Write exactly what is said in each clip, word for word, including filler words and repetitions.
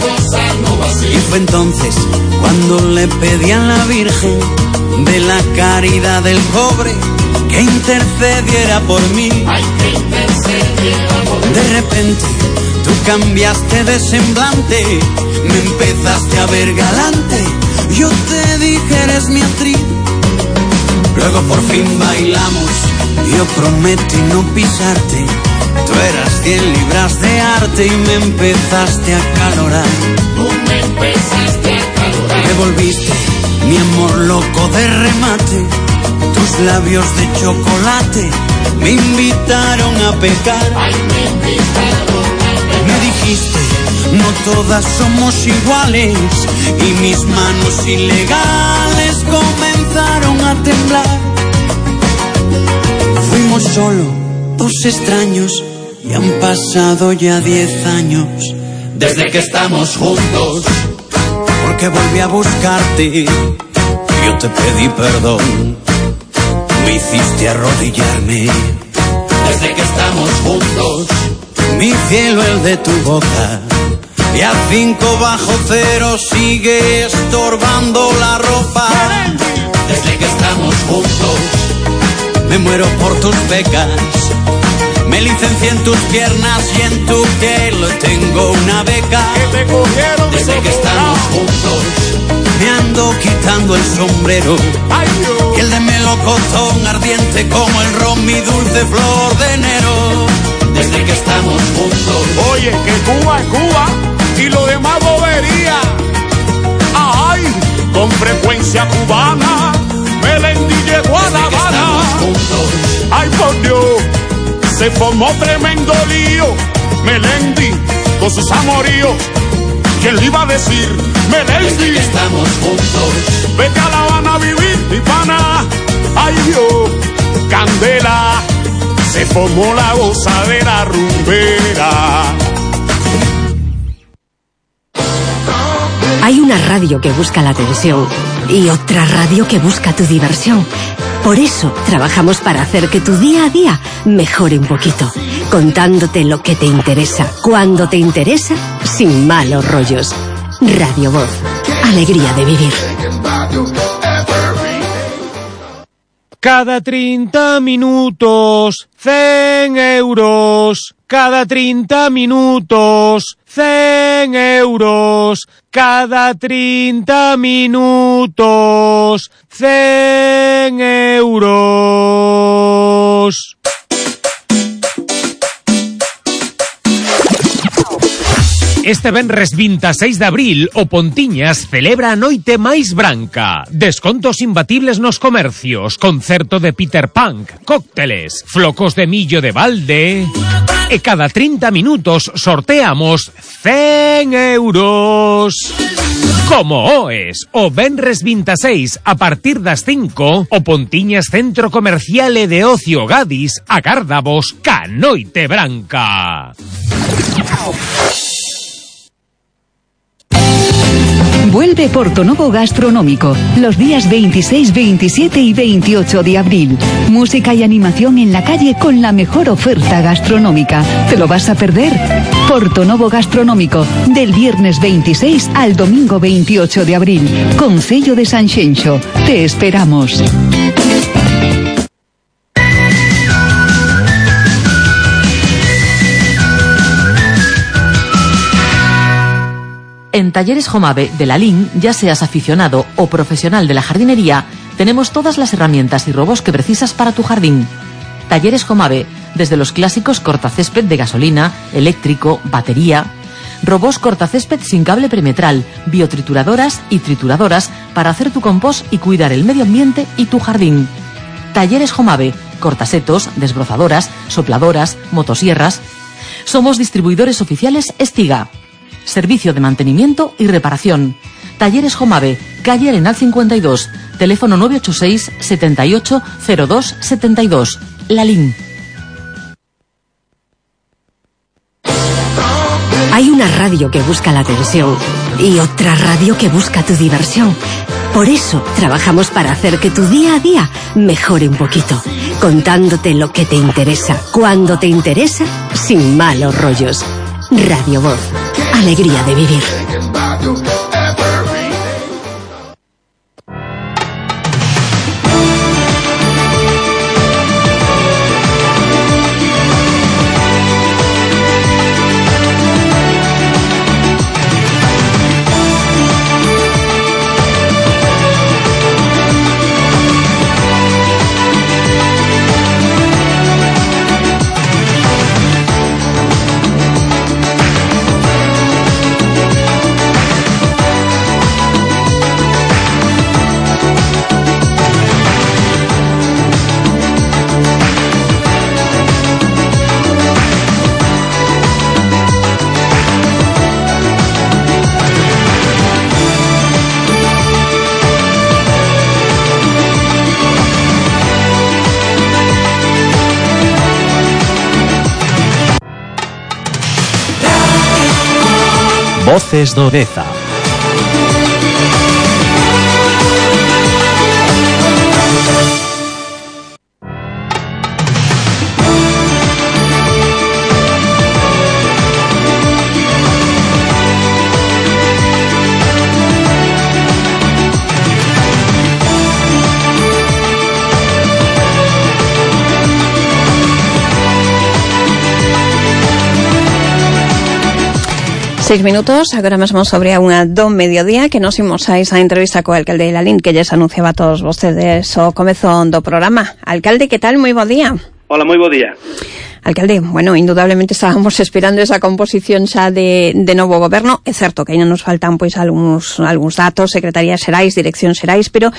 cosa no va así. Y fue entonces cuando le pedí a la Virgen de la Caridad del Cobre que intercediera por mí. Ay, que intercediera por mí. De repente tú cambiaste de semblante, me empezaste a ver galante. Yo te dije eres mi actriz. Luego por fin bailamos, yo prometí no pisarte. Tú eras cien libras de arte y me empezaste a calorar. Tú me empezaste a calorar. Me volviste mi amor loco de remate. Tus labios de chocolate me invitaron a pecar. Ay, me invitaron a pecar. Me dijiste, no todas somos iguales. Y mis manos ilegales comenzaron a temblar. Fuimos solo dos extraños y han pasado ya diez años desde que estamos juntos. Porque volví a buscarte, yo te pedí perdón, me hiciste arrodillarme. Desde que estamos juntos, mi cielo el de tu boca, y a cinco bajo cero sigue estorbando la ropa. Desde que estamos juntos, me muero por tus becas, me licencié en tus piernas y en tu piel tengo una beca. Que te cogieron desde que estamos juntos, me ando quitando el sombrero. Ay, Dios. Que el de melocotón ardiente como el ron, mi dulce flor de enero. Desde que estamos juntos. Oye, que Cuba es Cuba y lo demás bobería. Ay, con frecuencia cubana, Melendi llegó a La Habana. Ay, por Dios, se formó tremendo lío. Melendi con sus amoríos. ¿Quién le iba a decir? Melendi. Desde que estamos juntos. Vete a La Habana a vivir, mi pana. Ay, Dios, candela. Se formó la gozadera rumbera. Hay una radio que busca la atención y otra radio que busca tu diversión. Por eso trabajamos para hacer que tu día a día mejore un poquito, contándote lo que te interesa, cuando te interesa, sin malos rollos. Radio Voz, alegría de vivir. Cada treinta minutos, cien euros. Cada treinta minutos, cien euros. Cada treinta minutos, cien euros. Este venres veintiséis de abril o Pontiñas celebra a noite máis branca. Descontos imbatibles nos comercios, concerto de Peter Punk, cócteles, flocos de millo de balde. E cada treinta minutos sorteamos cien euros. Como oes, o venres veintiséis a partir das cinco, o Pontiñas Centro Comercial e de Ocio Gadis agárdavos ca noite branca. Vuelve Portonovo Gastronómico, los días veintiséis, veintisiete y veintiocho de abril. Música y animación en la calle con la mejor oferta gastronómica. ¿Te lo vas a perder? Portonovo Gastronómico, del viernes veintiséis al domingo veintiocho de abril. Concello de Sanxenxo. Te esperamos. En Talleres Jomave de la Lin, ya seas aficionado o profesional de la jardinería, tenemos todas las herramientas y robos que precisas para tu jardín. Talleres Jomave, desde los clásicos cortacésped de gasolina, eléctrico, batería, robos cortacésped sin cable perimetral, biotrituradoras y trituradoras para hacer tu compost y cuidar el medio ambiente y tu jardín. Talleres Jomave, cortasetos, desbrozadoras, sopladoras, motosierras. Somos distribuidores oficiales Estiga. Servicio de mantenimiento y reparación. Talleres Jomave, calle Arenal cincuenta y dos, teléfono nueve ocho seis, setenta y ocho, cero dos, setenta y dos. Lalín. Hay una radio que busca la atención y otra radio que busca tu diversión. Por eso trabajamos para hacer que tu día a día mejore un poquito, contándote lo que te interesa, cuando te interesa, sin malos rollos. Radio Voz, alegría de vivir. Voces do Deza. Seis minutos, agora mesmo sobre a unha do mediodía, que nos imos a esa entrevista co alcalde de Lalín, que lles anunciaba a todos vostedes o comezo do programa. Alcalde, que tal? Moi bo día. Hola, moi bo día. Alcalde, bueno, indudablemente estábamos esperando esa composición xa de, de novo goberno. É certo que ainda nos faltan pois algúns, algúns datos, secretarías xerais, dirección xerais, pero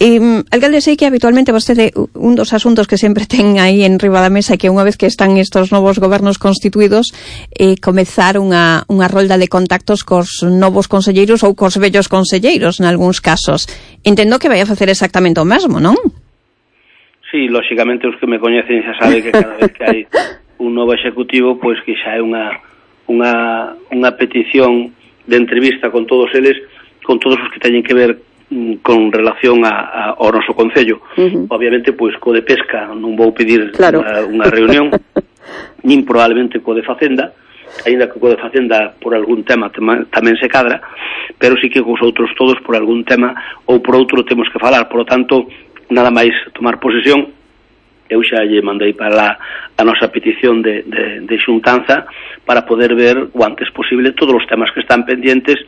eh, alcalde, sei que habitualmente vostede un dos asuntos que sempre ten aí en riba da mesa é que unha vez que están estos novos gobernos constituídos, eh, comezar unha, unha rolda de contactos cos novos conselleiros ou cos vellos conselleiros, en algúns casos. Entendo que vai a facer exactamente o mesmo, non? Sí, lóxicamente os que me coñecen xa sabe que cada vez que hai un novo executivo, pois que xa é unha unha unha petición de entrevista con todos eles, con todos os que teñen que ver mm, con relación a, a, ao noso concello. Uh-huh. Obviamente, pois co de pesca non vou pedir claro. unha, unha reunión, nin probablemente co de Facenda, aínda que co de Facenda por algún tema tema tamén se cadra, pero sí que cos outros todos por algún tema ou por outro temos que falar. Por lo tanto, nada máis tomar posesión, eu xa lle mandei para lá a nosa petición de, de, de xuntanza para poder ver o antes posible todos os temas que están pendientes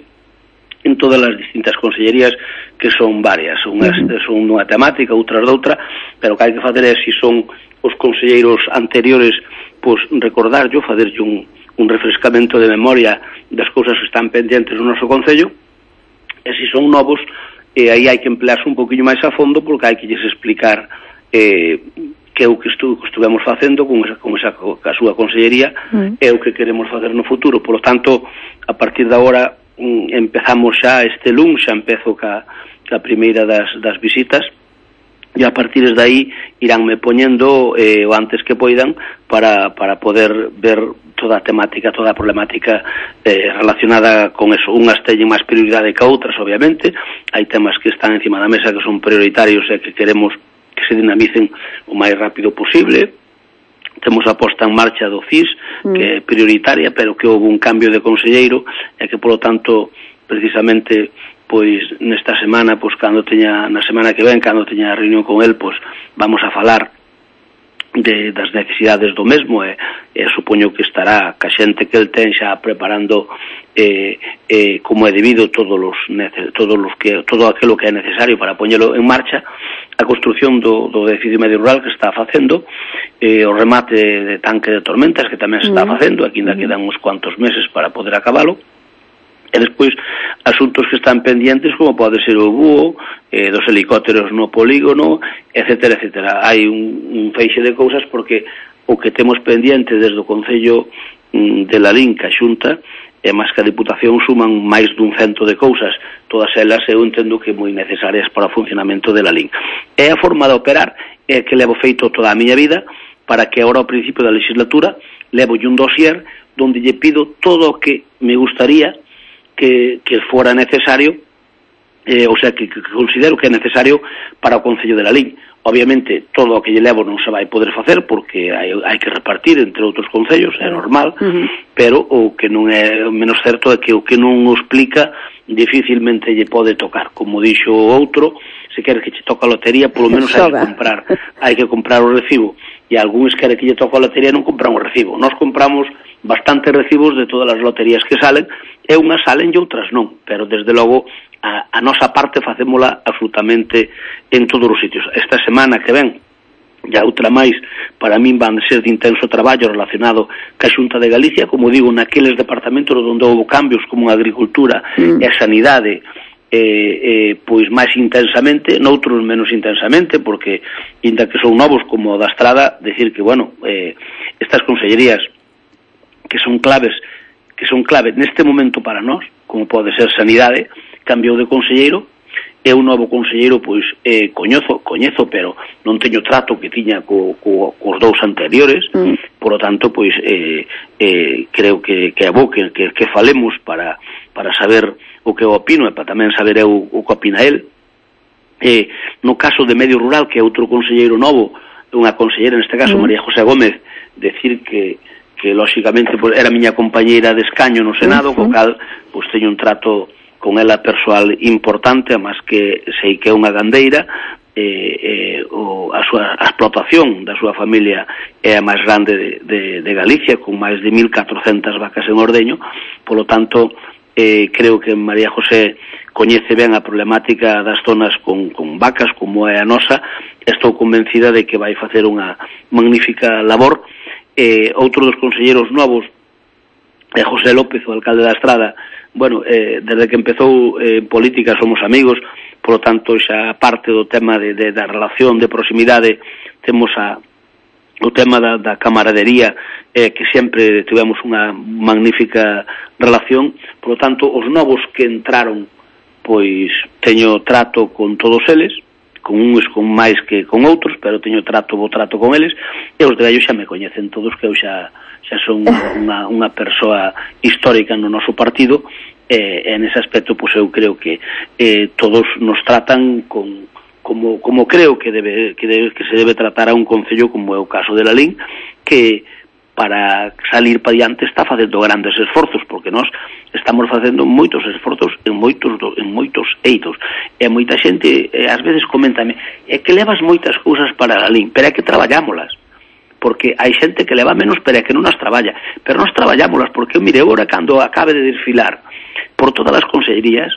en todas as distintas consellerías, que son varias, unhas son unha temática, outras doutra, pero o que hai que fazer é, se son os conselleiros anteriores, pois recordarllo, facerlle un, un refrescamento de memoria das cousas que están pendientes no noso concello, e se son novos, e aí hai que emplearse un poquinho máis a fondo, porque hai que lles explicar eh, que é o que, estu, que estuvemos facendo con esa, con esa con a súa consellería, mm. é o que queremos facer no futuro. Por lo tanto, a partir de agora mm, empezamos xa este luns, xa empezo ca, ca primeira das, das visitas, e a partir de aí iránme poñendo eh, o antes que poidan para, para poder ver toda a temática, toda a problemática eh, relacionada con eso. Unhas teñen máis prioridade que outras, obviamente. Hai temas que están encima da mesa que son prioritarios e que queremos que se dinamicen o máis rápido posible. Temos a posta en marcha do C I S, mm. que é prioritaria, pero que houve un cambio de conselleiro e que, polo tanto, precisamente, pois nesta semana, pois cando teña, na semana que ven, cando teña a reunión con el, pois vamos a falar de, das necesidades do mesmo, e, e supoño que estará ca xente que el ten xa preparando eh, eh, como é debido todos os, todos os que, todo aquilo que é necesario para poñelo en marcha, a construción do, do edificio medio rural que está facendo, eh, o remate de tanque de tormentas que tamén se está facendo, aquí ainda quedan uns cuantos meses para poder acabalo, e despois asuntos que están pendientes como pode ser o búho, eh, dos helicópteros no polígono, etcétera, etcétera. Hai un, un feixe de cousas porque o que temos pendiente desde o Concello mm, de Lalín, que a Xunta, e máis que a Diputación, suman máis dun cento de cousas, todas elas eu entendo que moi necesarias para o funcionamento de Lalín. É a forma de operar é que levo feito toda a miña vida para que agora ao principio da legislatura levo un dossier donde lle pido todo o que me gustaría que, que fora necesario eh, o sea, que, que considero que é necesario para o Concello de Lalín. Obviamente, todo o que lle levo non se vai poder facer porque hai, hai que repartir entre outros concellos, é normal, uh-huh. pero o que non é menos certo é que o que non o explica dificilmente lle pode tocar. Como dixo o outro, se queres que che toca a lotería, polo menos hai que comprar, hai que comprar o recibo. E algúns quere que lle toca a lotería e non compran o recibo. Nós compramos bastantes recibos de todas as loterías que salen, e unhas salen e outras non, pero desde logo a, a nosa parte facémola absolutamente en todos os sitios. Esta semana que ven, e outra máis, para min van ser de intenso traballo relacionado ca Xunta de Galicia, como digo, naqueles departamentos onde houve cambios como a agricultura mm. e a sanidade, eh, eh, pois máis intensamente, noutros menos intensamente, porque, inda que son novos como o da Estrada, decir que, bueno, eh, estas consellerías que son claves, que son clave neste momento para nós, como pode ser sanidade, cambiou de conselleiro, é un novo conselleiro, pois, eh, coñezo, coñezo, pero non teño trato que tiña co, co, cos dous anteriores, mm. por lo tanto, pois, eh, eh, creo que, que é bo que, que, que falemos para, para saber o que eu opino e para tamén saber eu o que opina el. Eh, no caso de Medio Rural, que é outro conselleiro novo, unha consellera, neste caso, mm. María José Gómez, decir que que lóxicamente pues, era miña compañeira de escaño no Senado, uh-huh. co cal pues, teño un trato con ela persoal importante, además que sei que é unha gandeira, eh, eh, o, a, súa, a explotación da súa familia é a máis grande de, de, de Galicia, con máis de mil catrocentas vacas en ordeño, polo tanto, eh, creo que María José coñece ben a problemática das zonas con, con vacas, como é a nosa, estou convencida de que vai facer unha magnífica labor. Eh, outro dos conselleiros novos é José López, o alcalde da Estrada. Bueno, eh, desde que empezou eh, en política somos amigos, por lo tanto xa parte do tema de, de, da relación de proximidade, temos a, o tema da, da camaradería, eh, que sempre tivemos unha magnífica relación. Por lo tanto, os novos que entraron, pois teño trato con todos eles, con uns con máis que con outros, pero teño trato, bo trato con eles, e os de gallo xa me coñecen todos, que eu xa, xa son unha, unha persoa histórica no noso partido, e, e nese aspecto, pois eu creo que eh, todos nos tratan con, como, como creo que debe, que debe que se debe tratar a un concello como é o caso de Lalín, que para salir para diante está facendo grandes esforzos, porque nós estamos facendo moitos esforzos en moitos en moitos eitos. E moita xente, eh, ás veces, coméntame, é que levas moitas cousas para Lalín, pero é que traballámolas, porque hai xente que leva menos, pero é que non as traballa, pero nós traballámolas, porque, mire, agora, cando acabe de desfilar por todas as consellerías,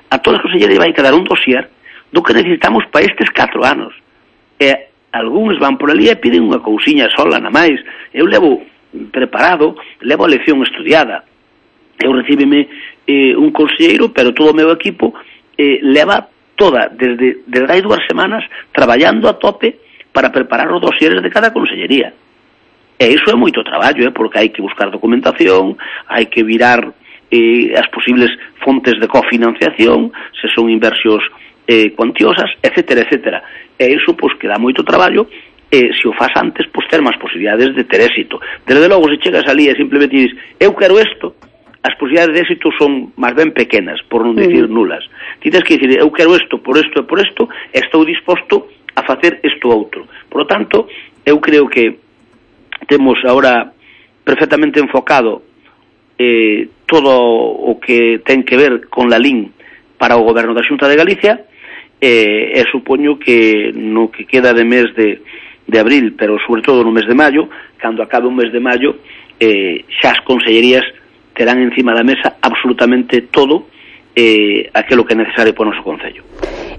a todas as consellerías vai quedar un dossier do que necesitamos para estes catro anos. E algúns van por ali e piden unha cousiña sola, na máis. Eu levo preparado, levo a lección estudiada. Eu recíbeme eh, un conselleiro, pero todo o meu equipo eh, leva toda, desde, desde hai dúas semanas, traballando a tope para preparar os dosieres de cada consellería. E iso é moito traballo, eh, porque hai que buscar documentación, hai que virar eh, as posibles fontes de cofinanciación, se son inversións eh, cuantiosas, etcétera, etcétera. E iso, pois, que dá moito traballo, e se o faz antes, pois, ter máis posibilidades de ter éxito. Desde logo, se chegas ali e simplemente dices, eu quero isto, as posibilidades de éxito son máis ben pequenas, por non dicir nulas. Ti tens que dicir, eu quero isto, por isto e por isto, e estou disposto a facer isto outro. Por lo tanto, eu creo que temos agora perfectamente enfocado eh, todo o que ten que ver con Lalín para o goberno da Xunta de Galicia, e, e supoño que no que queda de mes de, de abril, pero sobre todo no mes de maio, cando acabe o mes de maio, eh, xa as consellerías terán encima da mesa absolutamente todo eh, aquilo que é necesario para o noso concello.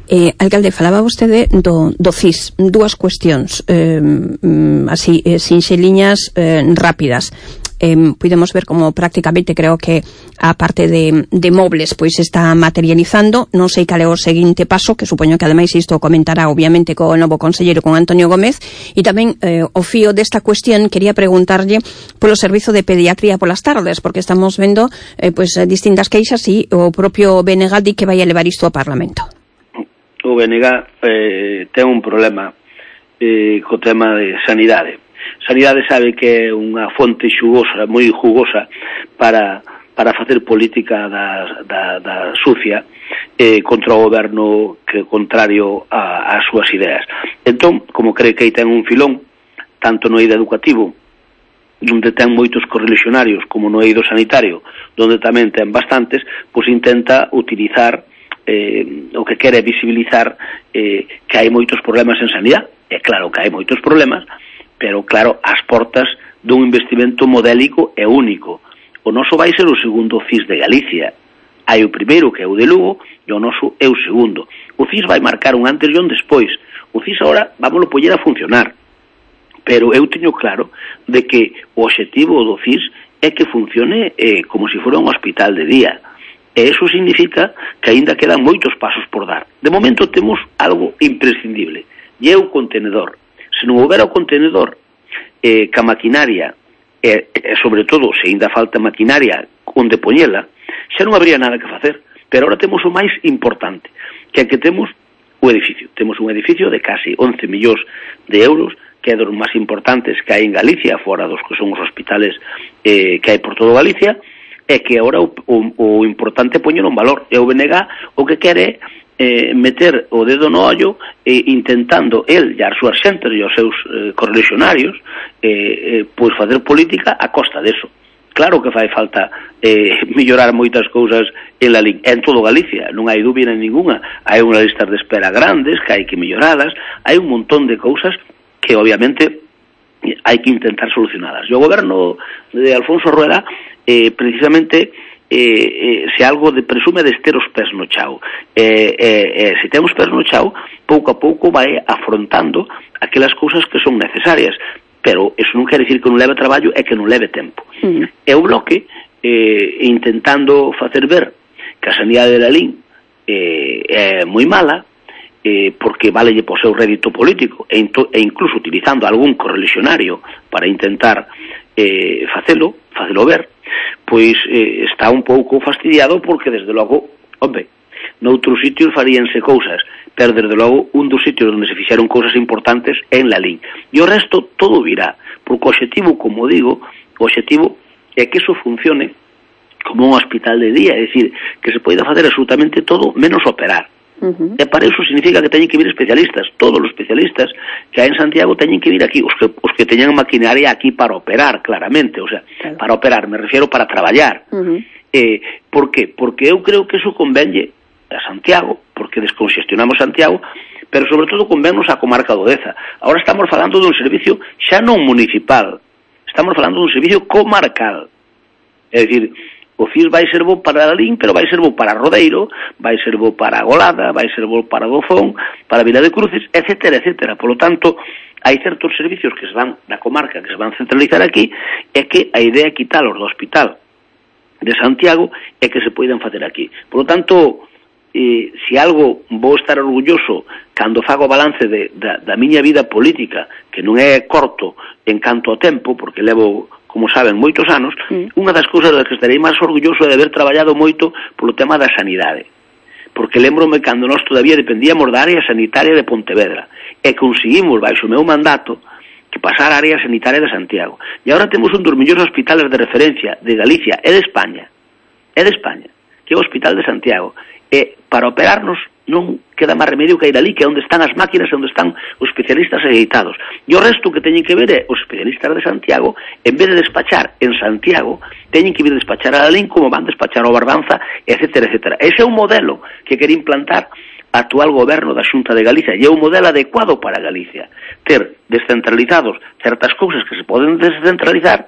Eh, alcalde, falaba vostede do, do C I S, dúas cuestións eh, así, eh, sinxeliñas eh, rápidas. Eh, podemos ver como prácticamente creo que a parte de, de mobles pois está materializando. Non sei cal é o seguinte paso, que supoño que ademais isto comentará obviamente co novo conselleiro, con Antonio Gómez. E tamén eh, o fío desta cuestión quería preguntarlle polo servizo de pediatría polas tardes, porque estamos vendo eh, pois distintas queixas e o propio B N G di que vai a levar isto ao Parlamento. O B N G eh, ten un problema eh, co tema de sanidade. Sanidade sabe que é unha fonte xugosa, moi jugosa para, para facer política da, da, da sucia, eh, contra o goberno que contrario a, as súas ideas. Entón, como cree que aí ten un filón, tanto no eido educativo, onde ten moitos correligionarios, como no eido sanitario, onde tamén ten bastantes, pois intenta utilizar eh, o que quere visibilizar eh, que hai moitos problemas en sanidade. É claro que hai moitos problemas, pero claro, ás portas dun investimento modélico e único. O noso vai ser o segundo C I S de Galicia. Hai o primeiro, que é o de Lugo, e o noso é o segundo. O C I S vai marcar un antes e un despois. O C I S agora vámoslo poñer a funcionar. Pero eu teño claro de que o obxectivo do C I S é que funcione eh, como se fora un hospital de día. E iso significa que aínda quedan moitos pasos por dar. De momento temos algo imprescindible, e é o contenedor. Se non houbera o contenedor, eh, ca maquinaria, e eh, sobre todo, se aínda falta maquinaria onde poñela, xa non habría nada que facer. Pero ahora temos o máis importante, que é que temos o edificio. Temos un edificio de casi once millóns de euros, que é dos máis importantes que hai en Galicia, fora dos que son os hospitales eh, que hai por todo Galicia, e que agora o, o, o importante é poñer un valor. E o B N G o que quere eh, meter o dedo no ollo eh, intentando el e as súas xentes e os seus eh, correligionarios eh, eh, pois facer política a costa deso. Claro que fai falta eh, mellorar moitas cousas en la L I N, en todo Galicia, non hai dúbida ninguna. Hai unhas listas de espera grandes que hai que melloradas, hai un montón de cousas que obviamente hai que intentar solucionadas. E o goberno de Alfonso Rueda eh, precisamente eh, eh, se algo de presume de ter os pés no chao. Eh, eh, eh, se ten os pés no chao, pouco a pouco vai afrontando aquelas cousas que son necesarias. Pero eso non quere dicir que non leve traballo e que non leve tempo. Uh-huh. E o Bloque, eh, intentando facer ver que a sanidade de la L I N eh, é moi mala, eh, porque valelle po seu rédito político, e, into, e incluso utilizando algún correligionario para intentar eh, facelo, facelo ver, pois eh, está un pouco fastidiado porque, desde logo, hombre, noutros sitios faríanse cousas, pero desde logo un dos sitios onde se fixeron cousas importantes é en la L I N. E o resto todo virá, porque o obxectivo, como digo, o obxectivo é que iso funcione como un hospital de día, é dicir, que se poida facer absolutamente todo menos operar. Uh-huh. E para iso significa que teñen que vir especialistas. Todos os especialistas que hai en Santiago teñen que vir aquí, os que, os que teñan maquinaria aquí para operar, claramente, o sea, claro. Para operar, me refiero para traballar. Uh-huh. Eh, por qué? Porque eu creo que iso convenlle a Santiago, porque desconxestionamos Santiago, pero sobre todo convennos a comarca do Deza. Agora estamos falando dun servicio xa non municipal, estamos falando dun servicio comarcal. É dicir, o C I S vai ser bo para a L I N, pero vai ser bo para Rodeiro, vai ser bo para Golada, vai ser bo para Dofón, para Vila de Cruces, etcétera, etcétera. Por lo tanto, hai certos servicios que se van da comarca, que se van centralizar aquí, e que a idea é quitalos do hospital de Santiago e que se poidan facer aquí. Por lo tanto, eh, se algo vou estar orgulloso cando fago balance de, da, da miña vida política, que non é corto en canto ao tempo, porque levo, como saben, moitos anos, mm. unha das cousas das que estarei máis orgulloso é de haber traballado moito polo tema da sanidade. Porque lembrome cando nós todavía dependíamos da área sanitaria de Pontevedra e conseguimos, baixo o meu mandato, que pasar a área sanitaria de Santiago. E agora temos un dos mellores hospitales de referencia de Galicia e de España, e de España, que é o Hospital de Santiago. E para operarnos non queda máis remedio que ir ali, que é onde están as máquinas e onde están os especialistas editados. E o resto que teñen que ver é os especialistas de Santiago, en vez de despachar en Santiago, teñen que vir despachar a Lalín como van despachar ao Barbanza, etcétera, etcétera. Ese é un modelo que quere implantar a actual goberno da Xunta de Galicia, e é un modelo adecuado para Galicia. Ter descentralizados certas cousas que se poden descentralizar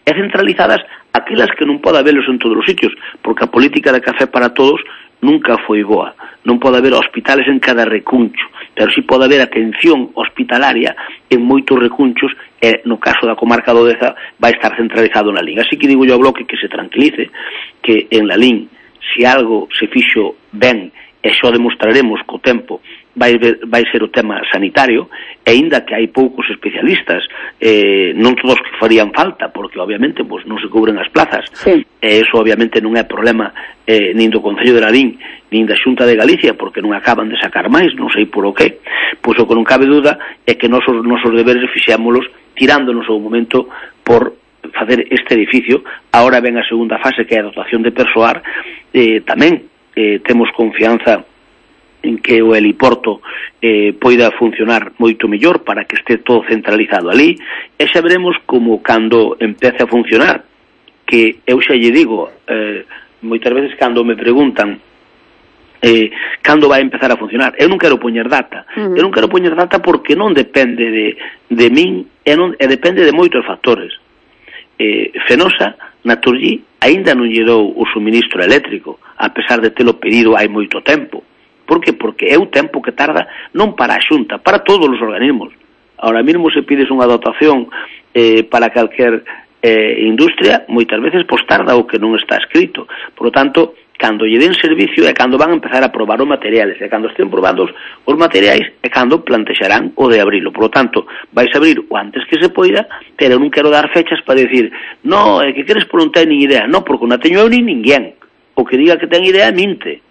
e centralizadas aquelas que non pode habelos en todos os sitios, porque a política de café para todos nunca foi boa. Non pode haber hospitales en cada recuncho, pero si pode haber atención hospitalaria en moitos recunchos, e no caso da comarca do Deza vai estar centralizado na L I N. Así que digo yo ao Bloque que se tranquilice, que en la L I N, se algo se fixo ben, e xo demostraremos co tempo, vai, ver, vai ser o tema sanitario, e aínda que hai poucos especialistas, eh, non todos que farían falta, porque obviamente pues, non se cubren as plazas, sí. E eso obviamente non é problema eh, nin do Concello de Lalín, nin da Xunta de Galicia, porque non acaban de sacar máis, non sei por o que, pois o que non cabe duda é que nosos, nosos deberes fixémolos tirándonos ao momento por facer este edificio. Ahora ven a segunda fase, que é a dotación de persoal, eh, tamén eh, temos confianza en que o heliporto eh, poida funcionar moito mellor para que este todo centralizado ali, e xa veremos como cando empece a funcionar, que eu xa lle digo, eh, moitas veces cando me preguntan eh, cando vai empezar a funcionar, eu non quero poñer data, uh-huh. eu non quero poñer data porque non depende de, de min, e, non, e depende de moitos factores. eh, Fenosa, Naturgy, aínda non lle dou o suministro eléctrico, a pesar de telo pedido hai moito tempo. Por que? Porque é o tempo que tarda non para a Xunta, para todos os organismos. Ahora mesmo se pides unha dotación eh, para calquer eh, industria, moitas veces pois tarda o que non está escrito. Por lo tanto, cando lle den servicio é cando van a empezar a probar os materiales, e cando estén probados os materiais é cando plantexarán o de abrilo. Por lo tanto, vais a abrir o antes que se poida, pero non quero dar fechas para decir no, é que queres por non ter nin idea. No, porque non teño eu nin ninguén. O que diga que ten idea minte.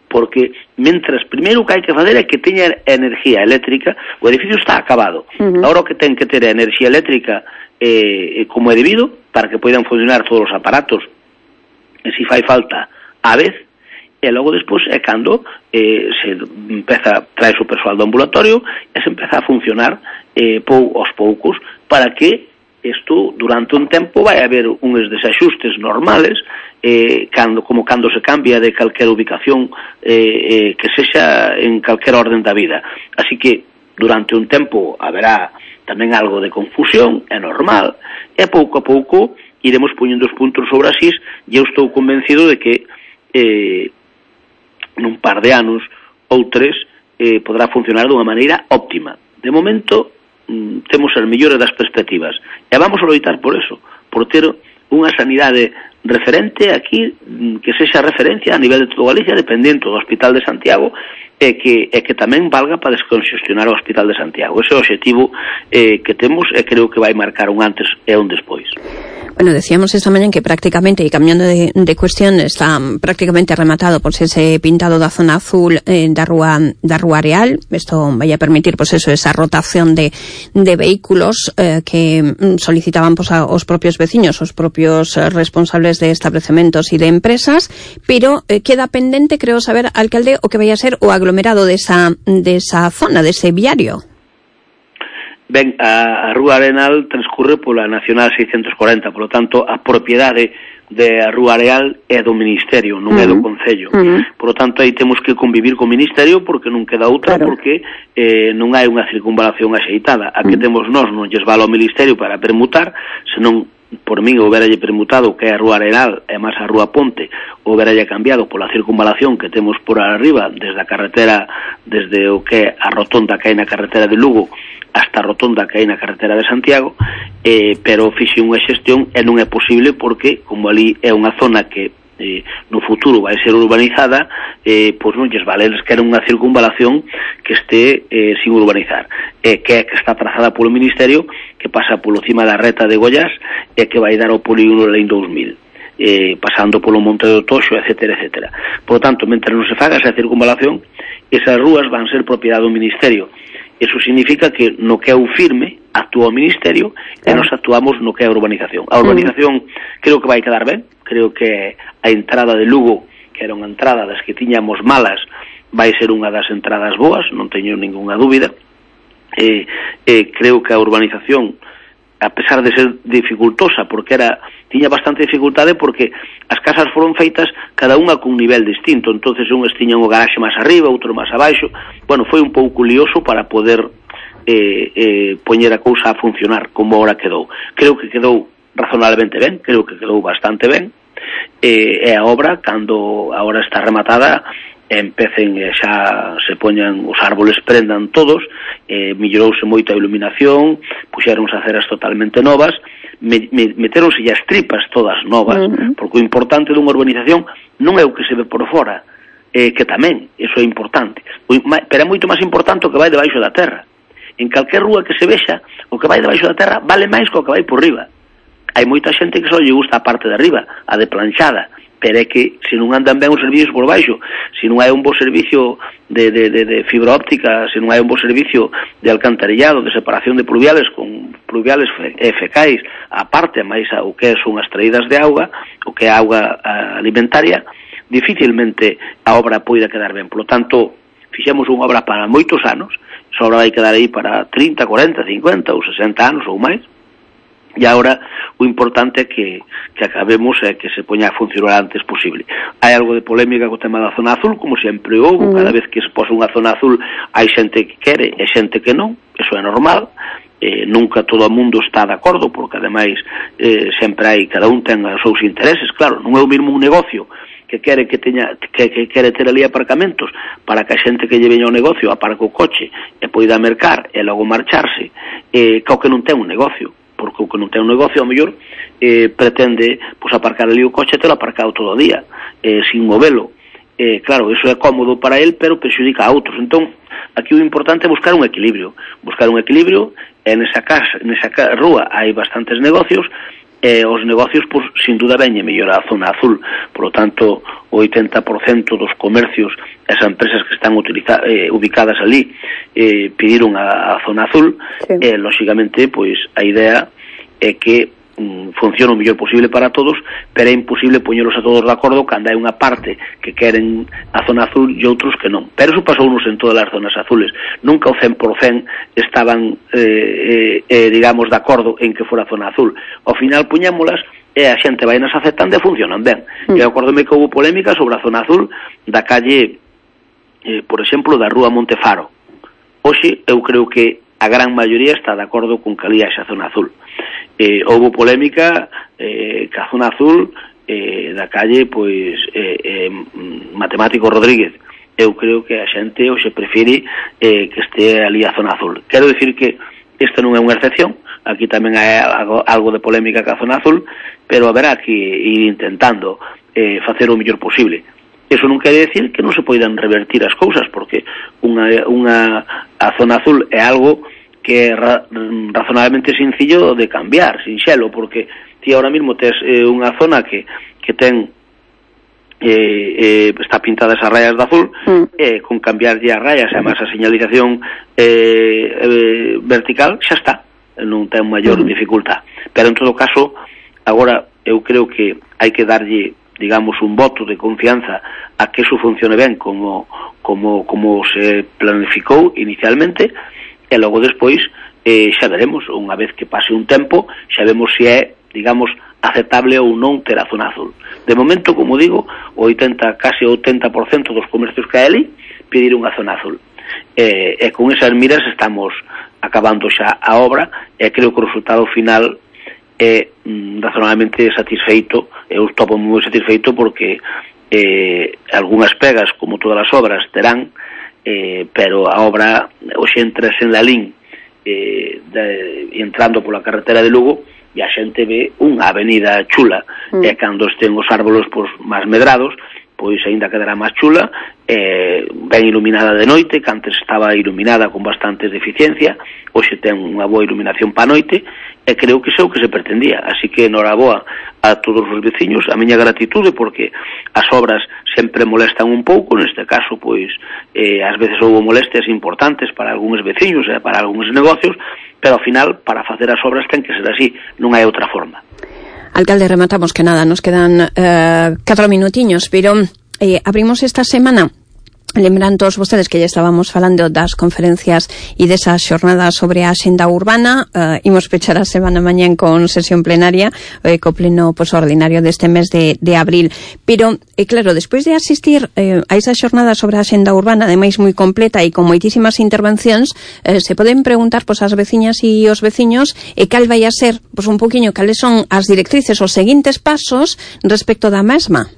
Porque mentras primeiro o que hai que fazer é que teña enerxía eléctrica, o edificio está acabado. Uh-huh. Agora o que ten que ter a enerxía eléctrica eh, como é debido, para que poidan funcionar todos os aparatos, e se fai falta a vez, e logo despois é cando eh, se empeza, trae o persoal do ambulatorio e se empeza a funcionar eh, pou, aos poucos, para que isto durante un tempo vai haber uns desaxustes normales, eh, cando, como cando se cambia de calquera ubicación eh, eh, que sexa en calquer orden da vida. Así que durante un tempo haberá tamén algo de confusión, é normal, e pouco a pouco iremos poñendo os puntos sobre as is, e eu estou convencido de que eh, nun par de anos ou tres eh, podrá funcionar dunha maneira óptima. De momento temos as mellores das perspectivas e vamos a loitar por eso, por ter unha sanidade referente aquí, que sexa referencia a nivel de toda Galicia, dependendo do Hospital de Santiago, e que, e que tamén valga para desconxestionar o Hospital de Santiago. Ese é o objetivo eh, que temos, e creo que vai marcar un antes e un despois. Bueno, decíamos esta mañana que prácticamente, y cambiando de, de cuestión, está prácticamente rematado pues ese pintado da zona azul eh, da Rúa da Rúa Areal. Esto vaya a permitir pues eso, esa rotación de, de vehículos eh, que solicitaban pues a os propios veciños, os propios eh, responsables de establecementos y de empresas, pero eh, queda pendente, creo saber, alcalde, o que vaya a ser o aglomerado de esa, de esa zona, de ese viario. Ben, a, a Rúa Arenal transcurre pola Nacional seiscentos cuarenta, por lo tanto, a propiedade de a Rúa Areal é do Ministerio, non uh-huh. é do Concello. Uh-huh. Por lo tanto, aí temos que convivir co Ministerio porque non queda outra, claro. porque eh, non hai unha circunvalación axeitada. A que uh-huh. temos nós non lles vale ao Ministerio para permutar, senón por min houberalle permutado que é a Rúa Arenal e máis a Rúa Ponte, houberalle cambiado pola circunvalación que temos por arriba, desde a carretera, desde o que é a rotonda que hai na carretera de Lugo hasta a rotonda que hai na carretera de Santiago, eh, pero fixe unha xestión e non é posible porque, como ali é unha zona que eh, no futuro vai ser urbanizada, eh, pois non lles vale, eles queren unha circunvalación que este eh, sin urbanizar, eh, que é que está trazada polo Ministerio, que pasa polo cima da reta de Goiás e que vai dar ao polígono Lein dous mil. Eh, pasando polo Monte do Toxo, etcétera, etcétera. Por lo tanto, mentre non se faga esa circunvalación, esas rúas van ser propiedade do Ministerio. Eso significa que no que é o firme actúa o Ministerio e nos actuamos no que é a urbanización. A urbanización creo que vai quedar ben, creo que a entrada de Lugo, que era unha entrada das que tiñamos malas, vai ser unha das entradas boas, non teño ninguna dúbida. Eh, eh, creo que a urbanización, a pesar de ser dificultosa, porque era tiña bastante dificultade porque as casas foron feitas cada unha cun nivel distinto, entonces unhas tiñan o garaxe máis arriba, outro máis abaixo. Bueno, foi un pouco lioso para poder eh, eh, poñer a cousa a funcionar como ahora quedou. Creo que quedou razonablemente ben, creo que quedou bastante ben, eh, e a obra, cando agora está rematada, empecen e xa se poñan os árboles, prendan todos, eh, mellorouse moito a iluminación, puxeronse aceras totalmente novas, me, me, meteronse as tripas todas novas, uh-huh. porque o importante dunha urbanización non é o que se ve por fora, eh, que tamén, iso é importante, o, pero é moito máis importante o que vai debaixo da terra. En calquer rúa que se vexa, o que vai debaixo da terra vale máis que o que vai por riba. Hai moita xente que só lle gusta a parte de arriba, a de planchada, pero é que se non andan ben os servicios por baixo, se non hai un bo servicio de, de, de, de fibra óptica, se non hai un bo servicio de alcantarillado, de separación de pluviales con pluviales e fecais, aparte máis o que son as traídas de auga, o que é auga alimentaria, dificilmente a obra poida quedar ben. Por lo tanto, fixemos unha obra para moitos anos, esa obra vai quedar aí para trinta, cuarenta, cincuenta ou sesenta anos ou máis, e agora o importante é que, que acabemos e que se poña a funcionar antes posible. Hai algo de polémica co tema da zona azul, como sempre houve, mm. cada vez que se posa unha zona azul hai xente que quere e xente que non, eso é normal, eh, nunca todo o mundo está de acordo, porque ademais eh, sempre hai, cada un ten os seus intereses, claro, non é o mesmo un negocio que quere que teña que, que quere ter ali aparcamentos para que a xente que lle veña ao negocio aparque o coche e poida mercar e logo marcharse, eh, que o que non ten un negocio, porque o que non ten un negocio, ao mellor, eh, pretende pues, aparcar ali o coche e telo aparcado todo o día, eh, sin movelo. Eh, claro, eso é cómodo para él, pero perxudica a outros. Entón, aquí o importante é buscar un equilibrio. Buscar un equilibrio, e nesa casa, nesa rúa hai bastantes negocios, e os negocios, pues, sin duda, veñe mellor a zona azul. Por lo tanto, o oitenta por cento dos comercios, as empresas que están utiliza, eh, ubicadas ali, eh, pediron a, a zona azul, sí. E, lóxicamente, pois, a idea é que mm, funcione o mellor posible para todos, pero é imposible poñelos a todos de acordo cando hai unha parte que queren a zona azul e outros que non. Pero eso pasounos en todas as zonas azules. Nunca o cen por cen estaban, eh, eh, digamos, de acordo en que fora a zona azul. Ao final poñémolas e a xente vai nas aceptando e funcionan ben. Mm. E acordome que houve polémica sobre a zona azul da calle, eh, por exemplo, da rúa Montefaro. Hoxe, eu creo que a gran maioría está de acordo con que ali a zona azul. Eh, houve polémica eh, que a zona azul eh, da calle, pois, eh, eh, Matemático Rodríguez. Eu creo que a xente hoxe prefire eh, que este ali a zona azul. Quero dicir que esta non é unha excepción, aquí tamén hai algo, algo de polémica ca zona azul, pero haberá que ir intentando eh, facer o mellor posible. Eso non quere decir que non se poidan revertir as cousas, porque unha, unha a zona azul é algo que é ra, razonablemente sencillo de cambiar, sinxelo, porque ti ahora mesmo tes eh, unha zona que, que ten eh, eh, está pintada esas rayas de azul, mm. eh, con cambiarlle as rayas e máis a señalización eh, eh, vertical, xa está, non ten maior mm. dificultad. Pero en todo caso, agora eu creo que hai que darlle, digamos, un voto de confianza a que eso funcione ben como, como, como se planificou inicialmente, e logo despois eh, xa veremos, unha vez que pase un tempo, xa vemos se é, digamos, aceptable ou non ter a zona azul. De momento, como digo, o oitenta, case o oitenta por cento dos comercios que hai ali pediron a zona azul. E, e con esas miras estamos acabando xa a obra, e creo que o resultado final é mm, razonablemente satisfeito. Eu estou moi satisfeito porque eh, algunhas pegas, como todas as obras, terán, eh, pero a obra hoxe entras en la Lalín, eh, de, entrando pola carretera de Lugo, e a xente ve unha avenida chula, mm. e cando estén os árboles pois, máis medrados, pois aínda quedará máis chula, eh, ben iluminada de noite, que antes estaba iluminada con bastantes deficiencia, hoxe ten unha boa iluminación pa noite, e creo que iso é o que se pretendía. Así que enhoraboa a todos os veciños, a miña gratitude, porque as obras sempre molestan un pouco, neste caso, pois, eh, ás veces houve molestias importantes para algúns veciños e eh, para algúns negocios, pero ao final, para facer as obras ten que ser así, non hai outra forma. Alcalde, rematamos que nada, nos quedan eh, catro minutiños, pero eh, abrimos esta semana, lembran todos vostedes que ya estábamos falando das conferencias e desas xornadas sobre a xenda urbana, eh, imos pechar a semana mañán con sesión plenaria, eh, co pleno pues, ordinario deste mes de, de abril, pero eh, claro, despois de asistir eh, a esa xornada sobre a xenda urbana, ademais moi completa e con moitísimas intervencións, eh, se poden preguntar pues, as veciñas e os veciños e eh, cal vai a ser, pues, un poquinho cales son as directrices, os seguintes pasos respecto da mesma.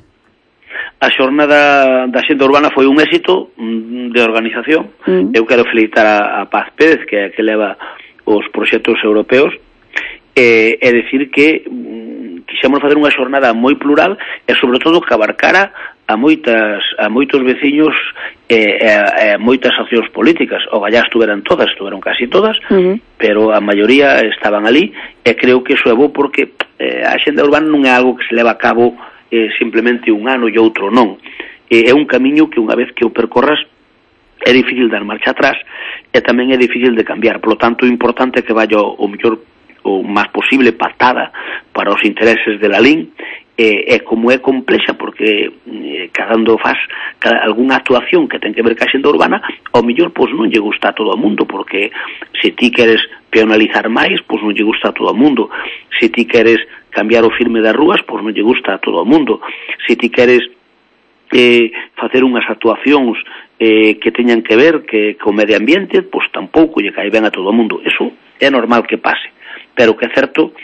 A xornada da xenda urbana foi un éxito de organización. Mm. Eu quero felicitar a, a Paz Pérez, que é que leva os proxectos europeos, e, e decir que mm, quixemos facer unha xornada moi plural e, sobre todo, que abarcara a moitas a moitos veciños e, e, e moitas accións políticas. O gallá estuveran todas, estuveron casi todas, mm-hmm. pero a maioría estaban ali, e creo que iso é bo porque eh, a xenda urbana non é algo que se leva a cabo Eh, simplemente un ano e outro non. Eh, é un camiño que unha vez que o percorras é difícil dar marcha atrás e tamén é difícil de cambiar. Por lo tanto, é importante que vaya o mellor o máis posible pactada para os intereses de Lalín eh, é como é complexa, porque eh, cando faz cada, algunha actuación que ten que ver ca xenda urbana, ao mellor pois non lle gusta a todo o mundo, porque se ti queres peonalizar máis, pois non lle gusta a todo o mundo. Se ti queres cambiar o firme das rúas, pois non lle gusta a todo o mundo. Se ti queres eh, facer unhas actuacións eh, que teñan que ver que co medio ambiente, pois tampouco lle cae ben a todo o mundo. Eso é normal que pase, pero que é certo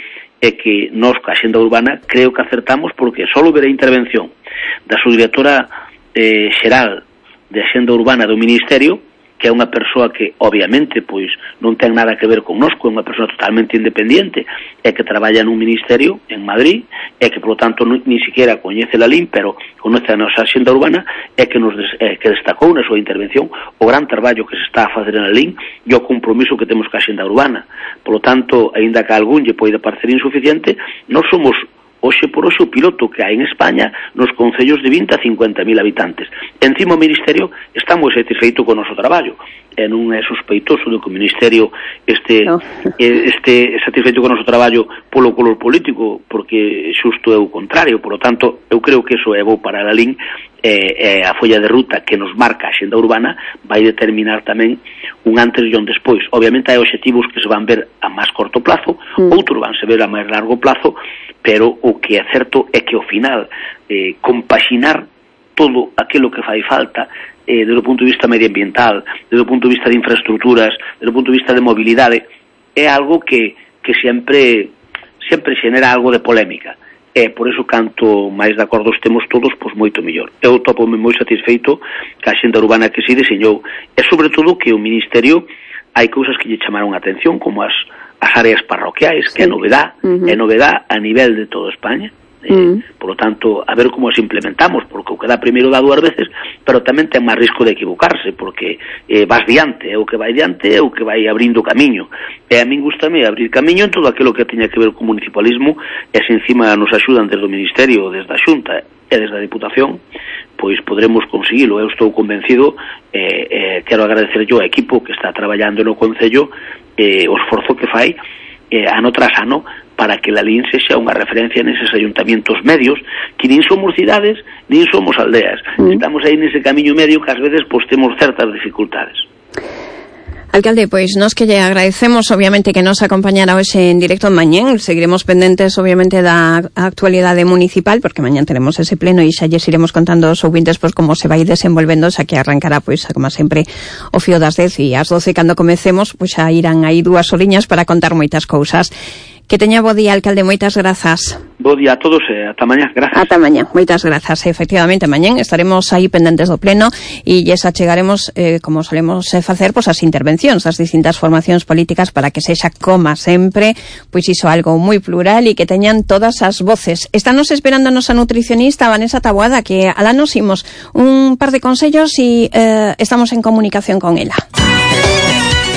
é que nós, ca xenda urbana, creo que acertamos, porque só ver a intervención da subdirectora eh, xeral de Xenda Urbana do Ministerio, que é unha persoa que, obviamente, pois non ten nada que ver connosco, é unha persoa totalmente independiente, é que traballa nun ministerio en Madrid, é que, polo tanto, non, ni siquiera coñece la L I M, pero conoce a nosa xenda urbana, é que nos des, é, que destacou na súa intervención o gran traballo que se está a facer na L I M e o compromiso que temos ca xenda urbana. Polo tanto, aínda que a algún lle poida parecer insuficiente, nós somos hoxe por hoxe o piloto que hai en España nos concellos de vinte a cincuenta mil habitantes. Encima o Ministerio está moi satisfeito con o noso traballo, e non é sospeitoso de que o Ministerio este, no. este satisfeito con o noso traballo polo color político, porque xusto é o contrario. Por lo tanto, eu creo que eso é bo para a L I N, e, e a folla de ruta que nos marca a xenda urbana vai determinar tamén un antes e un despois. Obviamente hai obxectivos que se van ver a máis corto plazo, mm. outros van se ver a máis largo plazo, pero o que é certo é que ao final eh, compaxinar todo aquilo que fai falta eh, desde o punto de vista medioambiental, desde o punto de vista de infraestructuras, desde o punto de vista de mobilidade, é algo que, que sempre sempre xenera algo de polémica. E por eso, canto máis de acordo estemos todos, pois moito mellor. Eu topome moi satisfeito ca xenda urbana que se diseñou, e sobre todo que o Ministerio hai cousas que lle chamaron a atención, como as as áreas parroquiais, que é novedad, uh-huh. é novedad a nivel de toda España. Eh, uh-huh. Por lo tanto, a ver como as implementamos, porque o que dá primeiro dá dúas veces, pero tamén ten máis risco de equivocarse, porque eh, vas diante, é o que vai diante, é o que vai abrindo camiño. E a min gustame abrir camiño en todo aquilo que teña que ver con municipalismo, e se encima nos axudan desde o Ministerio, desde a Xunta e desde a Diputación, pois podremos conseguilo. Eu estou convencido, eh, eh, quero agradecer yo ao equipo que está traballando no Concello, eh, o esforzo que fai eh, ano tras ano para que la L I N sexa unha referencia neses ayuntamientos medios, que nin somos cidades, nin somos aldeas. Mm. Estamos aí nese camiño medio que ás veces pois temos certas dificultades. Alcalde, pois nos que lle agradecemos obviamente que nos acompañara hoxe en directo en mañén. Seguiremos pendentes obviamente da actualidade municipal, porque mañán tenemos ese pleno e xa lles iremos contando aos ouvintes pois como se vai desenvolvendo, xa que arrancará pois como sempre o fío das dez e ás doce cando comecemos, pois xa irán aí dúas horiñas para contar moitas cousas. Que teña bo día, alcalde, moitas grazas. Bo día a todos e ata mañá, grazas. Ata mañá, moitas grazas. Efectivamente, mañán estaremos aí pendentes do pleno e lles achegaremos, eh, como solemos facer, pois as intervencións das distintas formacións políticas para que sexa, como sempre, pois iso algo moi plural e que teñan todas as voces. Estános esperando a nosa nutricionista Vanessa Taboada, que alá nos imos un par de consellos e eh, estamos en comunicación con ela.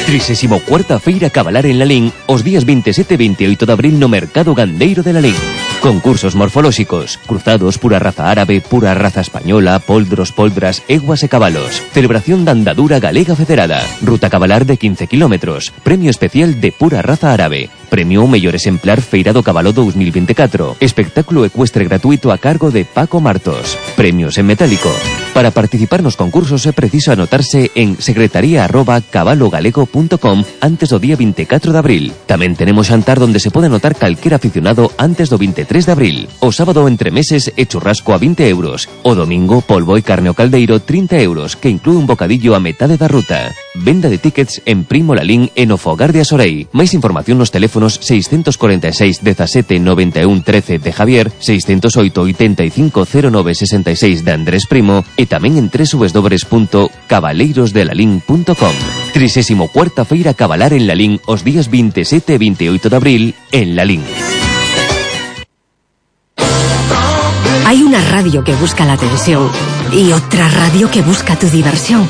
trisésimo cuarta Feira Cabalar en Lalín os días veintisiete e veintioito de abril no Mercado Gandeiro de Lalín. Concursos morfolóxicos, cruzados, pura raza árabe, pura raza española, poldros, poldras, eguas e cabalos. Celebración da andadura galega federada. Ruta cabalar de quince kilómetros. Premio especial de pura raza árabe. Premio ao mellor exemplar Feira do Cabalo dos mil veinticuatro. Espectáculo ecuestre gratuito a cargo de Paco Martos. Premios en metálico. Para participar nos concursos é preciso anotarse en secretaría arroba cabalogalego punto com antes do día veinticuatro de abril. Tamén tenemos xantar donde se pode anotar calquer aficionado antes do veintitrés de abril. O sábado entre meses e churrasco a vinte euros. O domingo polvo e carne ao caldeiro trinta euros, que inclúe un bocadillo a metade da ruta. Venda de tickets en Primo Lalín e no Fogar de Asorei. Máis información nos teléfonos seiscentos cuarenta e seis dezasete noventa e un trece de Javier, seiscentos oito oitenta e cinco cero nove sesenta e seis de Andrés Primo e tamén en doble u doble u doble u punto cabaleirosdelalín punto com. trisésimo cuarta Feira Cabalar en Lalín os días veintisiete e veintioito de abril en Lalín. Hay una radio que busca la atención y otra radio que busca tu diversión.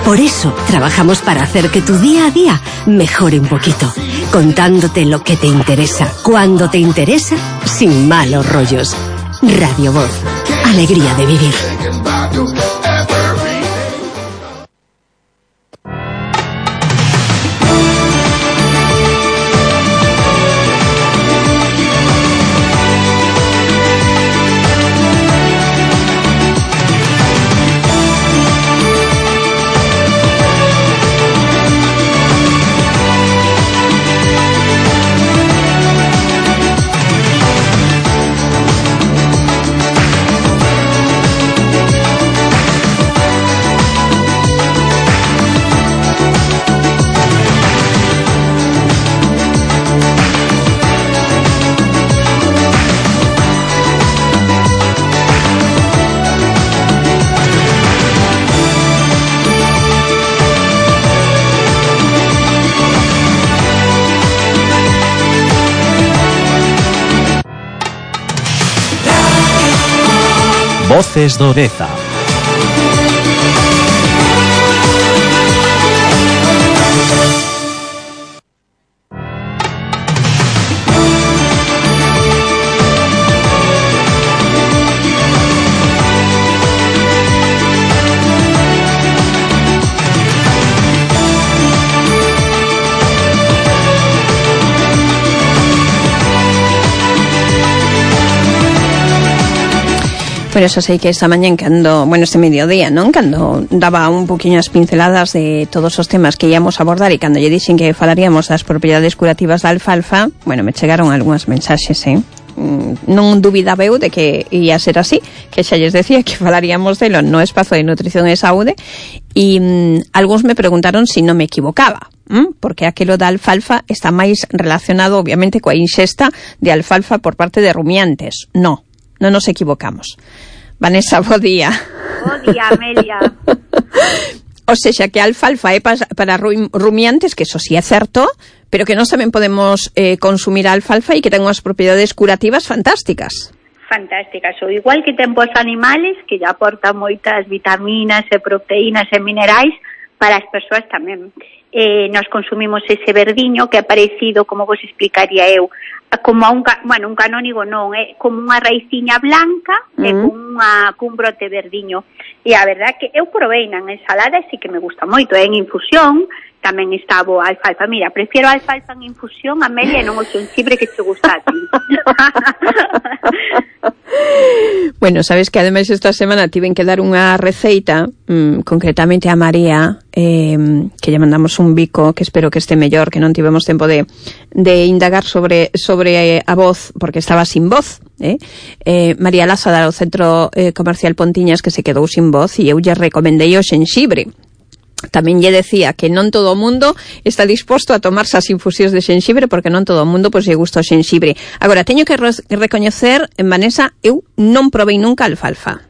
Por eso trabajamos para hacer que tu día a día mejore un poquito, contándote lo que te interesa, cuando te interesa, sin malos rollos. Radio Voz, alegría de vivir. Voces do Deza. Pero eso sei que esta mañá cando, bueno, este mediodía, non? Cando daba un poquinho as pinceladas de todos os temas que íamos a abordar e cando lle dixen que falaríamos das propiedades curativas da alfalfa, bueno, me chegaron algunhas mensaxes, eh? Non dubidaba eu de que ia ser así, que xa lles decía que falaríamos delo no espazo de nutrición e saúde e mm, algúns me preguntaron se si non me equivocaba, ¿m? Porque aquilo da alfalfa está máis relacionado obviamente coa inxesta de alfalfa por parte de rumiantes. No, non nos equivocamos. Vanessa, bo día. Bo día, Amelia. O sexa, que a alfalfa é para, para rumiantes, que eso sí é certo, pero que nós tamén podemos eh, consumir a alfalfa e que ten unhas propiedades curativas fantásticas. Fantásticas, o igual que ten pos animales, que lle aportan moitas vitaminas e proteínas e minerais, para as persoas tamén. Eh, nos consumimos ese verdiño que é parecido, como vos explicaría eu, como a un, bueno, un canónigo non, é como unha raiciña blanca mm. e con unha, cun brote verdiño. E a verdad que eu provei na ensalada e sí que me gusta moito, é en infusión, tamén está boa a alfalfa. Mira, prefiero a alfalfa en infusión, Amelia, e non o xenxibre que te gusta a ti. Bueno, sabes que ademais esta semana tiven que dar unha receita, mmm, concretamente a María, eh, que lle mandamos un bico, que espero que este mellor, que non tivemos tempo de, de indagar sobre, sobre a voz, porque estaba sin voz, eh? Eh, María Lázada, do Centro eh, Comercial Pontiñas, que se quedou sin voz, e eu lle recomendei o xenxibre. Tamén lle decía que non todo o mundo está disposto a tomarse as infusións de xenxibre, porque non todo o mundo pois lle gusta o xenxibre. Agora, teño que re- recoñecer, Vanessa, eu non provei nunca alfalfa.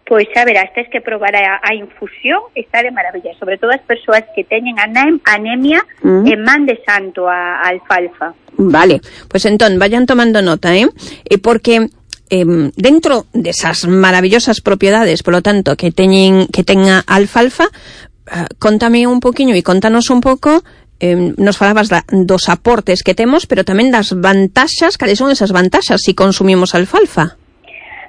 Pois xa verás, tens que probar a, a infusión, está de maravilla, sobre todo as persoas que teñen anem, anemia mm. e man de santo a, a alfalfa. Vale, pois entón, vayan tomando nota, eh? E porque eh, dentro desas maravillosas propiedades, polo tanto, que teñen que tenga alfalfa, uh, contame un poquinho e contanos un pouco, eh, nos falabas da, dos aportes que temos, pero tamén das vantaxas. Cales son esas vantaxas se si consumimos alfalfa?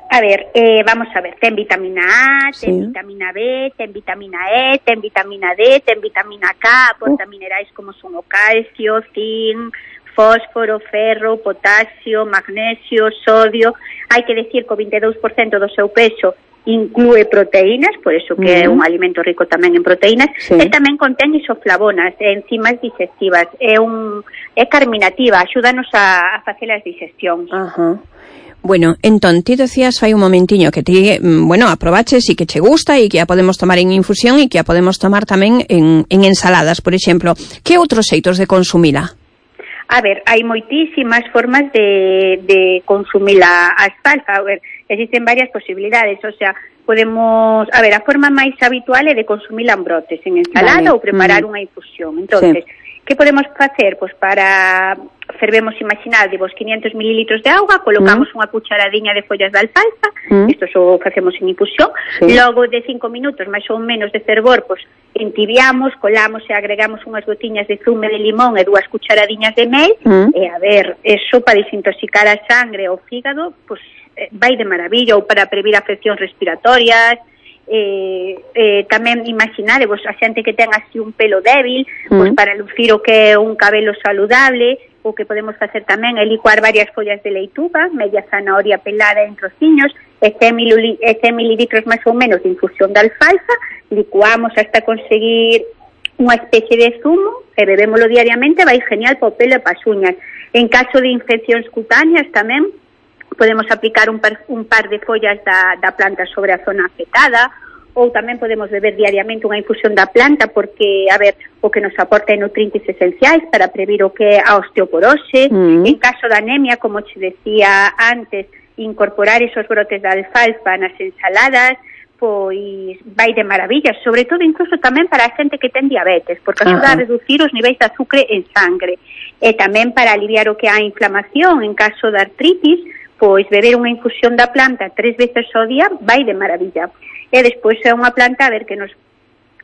A ver, eh, vamos a ver, ten vitamina A, ten sí. vitamina B, ten vitamina E, ten vitamina D, ten vitamina K, aporta uh. minerais como son o calcio, zinc, fósforo, ferro, potasio, magnesio, sodio. Hai que decir que o vinte e dous por cento do seu peso inclúe proteínas, por eso que uh-huh. é un alimento rico tamén en proteínas, sí. e tamén contén isoflavonas, enzimas digestivas, é un é carminativa, axúdanos a, a facer as digestións. Ajá. Uh-huh. Bueno, entón, ti decías fai un momentiño que ti, bueno, aprobaches e que che gusta e que a podemos tomar en infusión e que a podemos tomar tamén en, en ensaladas, por exemplo. Que outros xeitos de consumila? A ver, hai moitísimas formas de, de consumir a, a alfalfa. A ver, existen varias posibilidades, o sea, podemos... A ver, a forma máis habitual é de consumila en brotes, en ensalada, vale. ou preparar mm. unha infusión. Entonces, sí. que podemos facer? Pois para... Fervemos, imaginar, de vos quinientos mililitros de auga, colocamos mm. unha cucharadiña de follas de alfalfa, mm. isto só facemos en infusión, sí. logo de cinco minutos, máis ou menos de fervor, pois entibiamos, colamos e agregamos unhas gotiñas de zume de limón e dúas cucharadiñas de mel, mm. e a ver, eso para desintoxicar a sangre ou fígado, pois vai de maravilla, ou para previr afeccións respiratorias. Eh, eh, tamén imaginarevos a xente que ten así un pelo débil, mm. pois para lucir o que é un cabelo saludable. O que podemos facer tamén é licuar varias follas de leituga, media zanahoria pelada en trociños, e cen mililitros máis ou menos de infusión de alfalfa, licuamos hasta conseguir unha especie de zumo e bebémolo diariamente, vai genial para o pelo e para as uñas. En caso de infeccións cutáneas tamén podemos aplicar un par, un par de follas da, da planta sobre a zona afectada, ou tamén podemos beber diariamente unha infusión da planta porque, a ver, o que nos aporta é nutrientes esenciais para previr o que é a osteoporose. Mm. En caso da anemia, como te decía antes, incorporar esos brotes da alfalfa nas ensaladas, pois vai de maravilla, sobre todo incluso tamén para a xente que ten diabetes, porque axuda uh-huh. a reducir os niveis de azúcar en sangre, e tamén para aliviar o que é a inflamación en caso de artritis, pois beber unha infusión da planta tres veces ao día vai de maravilla. E despois é unha planta, a ver, que nos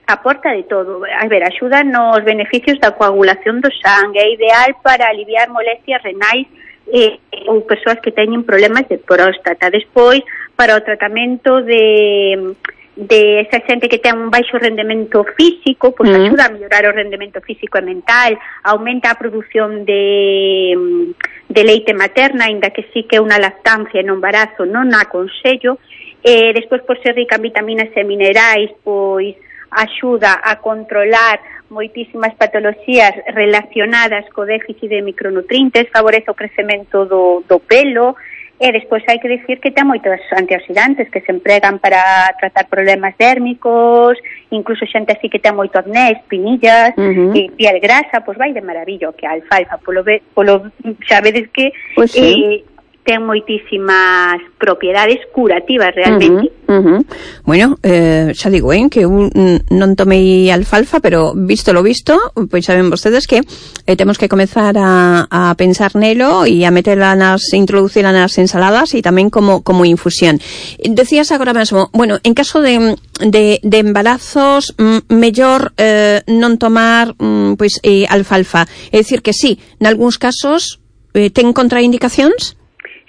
aporta de todo. A ver, axuda nos beneficios da coagulación do sangue, é ideal para aliviar molestias renais eh, ou persoas que teñen problemas de próstata. Despois, para o tratamento de... de esa xente que ten un baixo rendemento físico, pois mm. axuda a mellorar o rendemento físico e mental, aumenta a produción de, de leite materna, ainda que sí que é unha lactancia no embarazo non a aconsello. Eh, despois, por ser rica en vitaminas e minerais, pois axuda a controlar moitísimas patoloxías relacionadas co déficit de micronutrientes, favorece o crecemento do, do pelo. E despois hai que dicir que ten moitos antioxidantes que se empregan para tratar problemas dérmicos, incluso xente así que ten moito acné, espinillas, uh-huh. e piel grasa, pois vai de maravillo que a alfalfa, polo, polo xa vedes que pues sí. eh, ten moitísimas propiedades curativas realmente. Uh-huh, uh-huh. Bueno, eh, xa digo, eh, que un, non tomei alfalfa, pero visto lo visto, pois saben vostedes que eh, temos que comezar a, a pensar nelo e a meterla nas, introducirla nas ensaladas e tamén como, como infusión. Decías agora mesmo, bueno, en caso de, de, de embarazos, m- mellor eh, non tomar mm, pois eh, alfalfa. É dicir que sí, nalgúns casos eh, ten contraindicacións?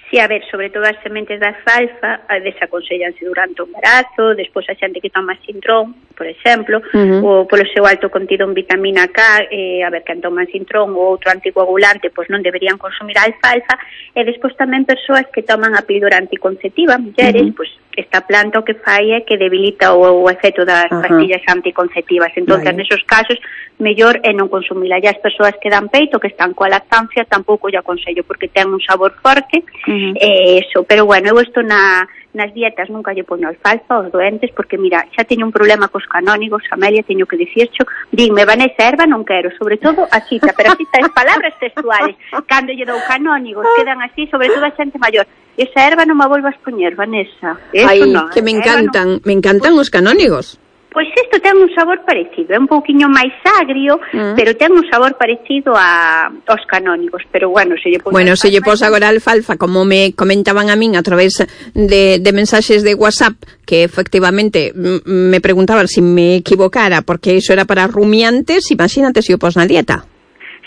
Sí, a ver, sobre todo as sementes da alfalfa desaconsellanse durante o embarazo, despois a xente que toma sintrón, por exemplo, uh-huh. ou polo seu alto contido en vitamina K, eh, a ver, quen toma sintrón ou outro anticoagulante, pois non deberían consumir a alfalfa, e despois tamén persoas que toman a píldora anticonceptiva, mulleres, uh-huh. pois esta planta o que fai é que debilita o, o efecto das uh-huh. pastillas anticonceptivas. Entón, vale. Nesos casos, mellor é non consumila. E as persoas que dan peito, que están coa lactancia, tampouco lle aconsello, porque ten un sabor forte, uh-huh. e eso. Pero bueno, eu isto na, nas dietas nunca lle poño alfalfa aos doentes, porque mira, xa teño un problema cos canónigos, Amelia, teño que dicircho, dime, Vanessa, erva non quero, sobre todo a cita, pero a cita es palabras textuales. Cando lle dou canónigos, quedan así, sobre todo a xente maior. Esa erva non me volvas poñer, Vanessa. Eso Ai, no, que me encantan, no. me encantan pues, os canónigos. Pois isto ten un sabor parecido, é un pouquiño máis agrio, mm. pero ten un sabor parecido a aos canónigos, pero bueno, se lle pos Bueno, se lle pos agora alfalfa, como me comentaban a min a través de, de mensaxes de WhatsApp, que efectivamente m- me preguntaban se si me equivocara, porque iso era para rumiantes, imagínate se o pos na dieta.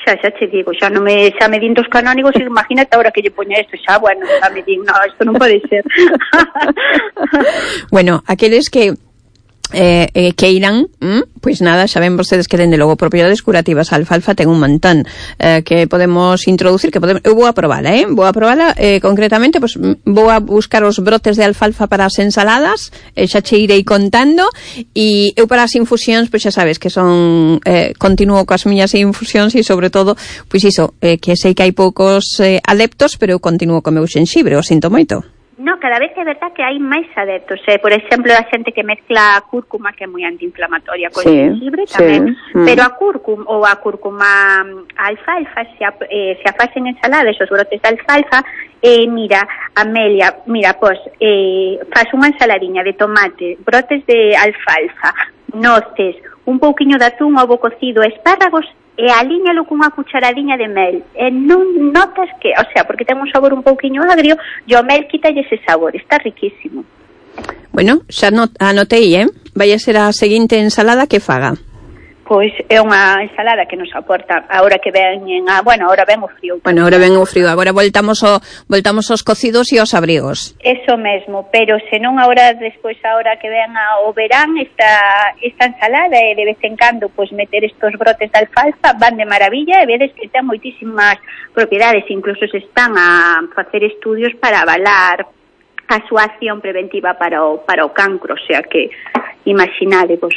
Xa, xa te digo, xa non me, xa me din dos canónigos e imagínate ahora que lle poña isto, xa, bueno, xa me din, no, isto non pode ser. Bueno, aqueles que Eh, eh, que irán, ¿m? Pois nada, xa ven vostedes que dende logo propiedades curativas a alfalfa ten un montón eh, que podemos introducir, que podemos, eu vou a probala, eh? Vou a probala, eh, concretamente, pois vou a buscar os brotes de alfalfa para as ensaladas, eh, xa che irei contando, e eu para as infusións, pois xa sabes que son eh, continuo coas miñas infusións e sobre todo, pois iso, eh, que sei que hai poucos eh, adeptos, pero eu continuo co meu xenxibre, o sinto moito. No, cada vez é verdad que hai máis adeptos. Eh? Por exemplo, a xente que mezcla a cúrcuma, que é moi antiinflamatoria, con sí, xenxibre tamén. Sí. Pero a cúrcuma ou a cúrcuma a alfalfa, se a, eh, se a facen ensaladas, os brotes de alfalfa, eh, mira, Amelia, mira, pois, eh, faz unha ensaladiña de tomate, brotes de alfalfa, noces, un pouquiño de atún, ovo cocido, espárragos, e alíñalo cunha cucharadiña de mel. E non notas que, o sea, porque ten un sabor un pouquiño agrio, e o mel quítalle ese sabor, está riquísimo. Bueno, xa not- anotei, eh? Vai a ser a seguinte ensalada que faga. Pois é unha ensalada que nos aporta agora que ven a, bueno, agora ven o frío. Bueno, agora ven o frío, agora voltamos o voltamos aos cocidos e aos abrigos. Eso mesmo, pero senón agora despois agora que ven o verán esta esta ensalada e de vez en cando pois meter estos brotes de alfalfa van de maravilla e vedes que ten moitísimas propiedades, incluso se están a facer estudios para avalar a súa acción preventiva para o para o cancro, o sea que imaginade vos.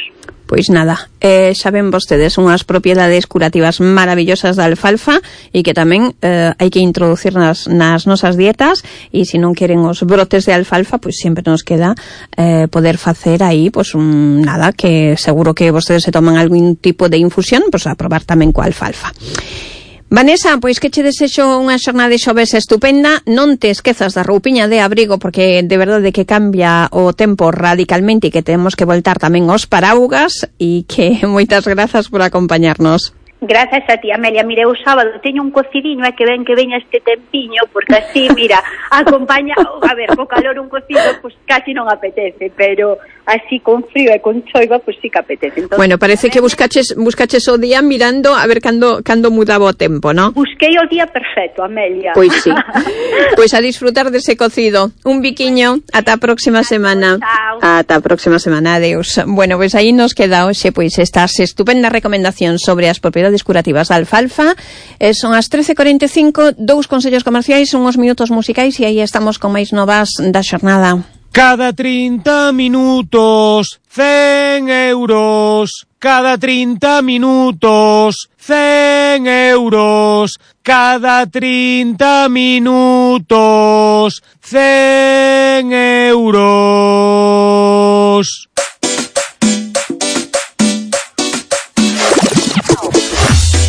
Pois nada, eh, xa ven vostedes unhas propiedades curativas maravillosas da alfalfa e que tamén eh, hai que introducir nas, nas nosas dietas, e se non queren os brotes de alfalfa, pois sempre nos queda eh, poder facer aí, pois un, nada, que seguro que vostedes se toman algún tipo de infusión, pois a probar tamén coa alfalfa. Vanessa, pois que che desexo unha xornada de xoves estupenda, non te esquezas da roupiña de abrigo, porque de verdade que cambia o tempo radicalmente e que temos que voltar tamén aos paraugas, e que moitas grazas por acompañarnos. Gracias a ti, Amelia. Mira, o sábado teño un cocidiño e que ven que veña este tempiño, porque así, mira, acompaña, a ver, co calor un cocido, pues casi non apetece, pero así con frío e con choiva, pues sí que apetece. Entonces, bueno, parece que buscaches buscaches o día mirando a ver cando cando mudaba o tempo, ¿no? Busquei o día perfecto, Amelia. Pois sí. Pois a disfrutar dese cocido. Un biquiño, ata a próxima semana. Chao. Ata a próxima semana, adeus. Bueno, pois aí nos queda hoxe pois estas estupendas recomendacións sobre as propiedades curativas da alfalfa. Eh, son as trece e cuarenta e cinco, dous consellos comerciais, unhos minutos musicais e aí estamos con máis novas da xornada. Cada trinta minutos, cen euros. Cada trinta minutos, cen euros. Cada trinta minutos, cen euros.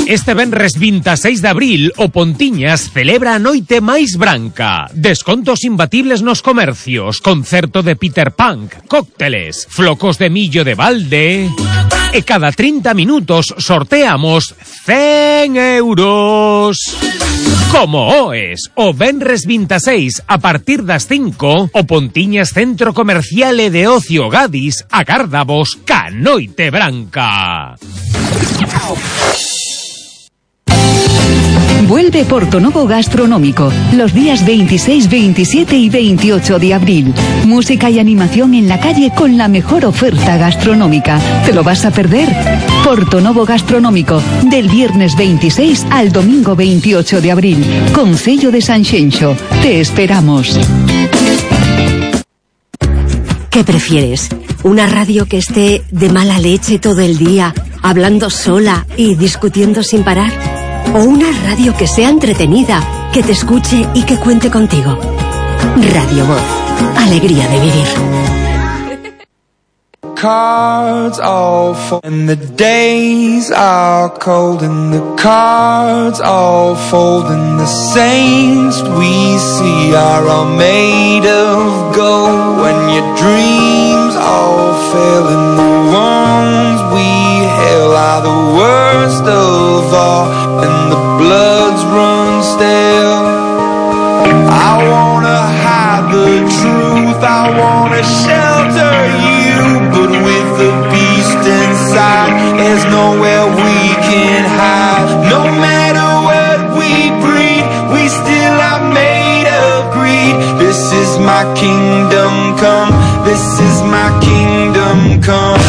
Este venres veintiséis de abril, o Pontiñas celebra a noite máis branca. Descontos imbatibles nos comercios, concerto de Peter Punk, cócteles, flocos de millo de balde. E cada trinta minutos sorteamos cen euros. Como oes, o venres veintiséis a partir das cinco, o Pontiñas Centro Comercial e de Ocio Gadis agárdavos ca noite branca. Vuelve Portonovo Gastronómico los días veintiséis, veintisiete y veintiocho de abril. Música y animación en la calle con la mejor oferta gastronómica. ¿Te lo vas a perder? Portonovo Gastronómico, del viernes veintiséis al domingo veintiocho de abril. Concello de Sanxenxo. Te esperamos. ¿Qué prefieres? ¿Una radio que esté de mala leche todo el día, hablando sola y discutiendo sin parar? ¿O una radio que sea entretenida, que te escuche y que cuente contigo? Radio Voz. Alegría de vivir. Cards all fall and the days are cold and the cards all fold and the saints we see are all made of gold. When your dreams all fail and the ones we hail are the worst of all and the bloods run stale. I wanna hide the truth, I wanna shelter you, but with the beast inside, there's nowhere we can hide. No matter what we breed, we still are made of greed. This is my kingdom come, this is my kingdom come.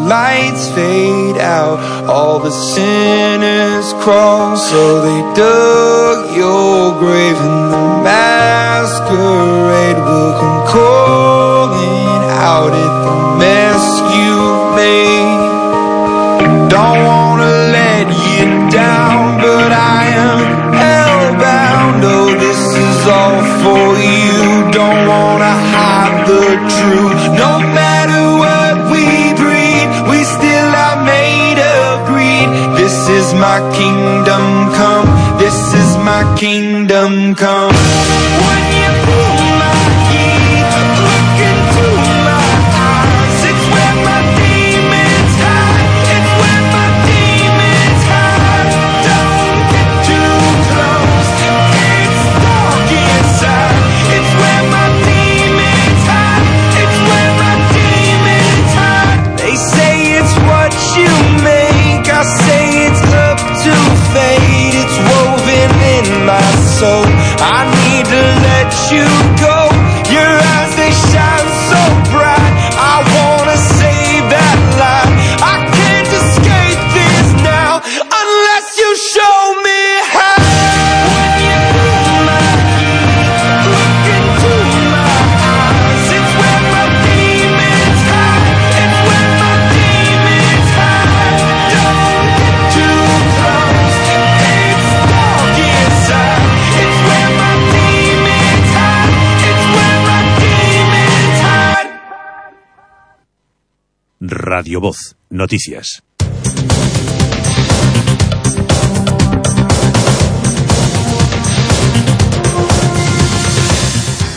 Lights fade out, all the sinners crawl. So they dug your grave and the masquerade will come calling out at the mess you've made. Don't wanna let you down, but I am hellbound. Oh, this is all for you. Don't wanna hide the truth. No matter what we breed, we still are made of greed. This is my kingdom come, this is my kingdom come. When you pull my heat, look into my eyes, it's where my demons hide, it's where my demons hide. Don't get too close, it's dark inside, it's where my demons hide, it's where my demons hide. They say it's what you make, I say it's up to fate. It's woven in my soul, I need to let you go. Your eyes, they shine so bright, I wanna save that light. I can't escape this now, unless you show me how. When you pull my heat, look into my eyes, it's where my demons hide, it's where my demons hide. Don't get too close, it's dark inside, it's where my demons hide. Radio Voz, noticias.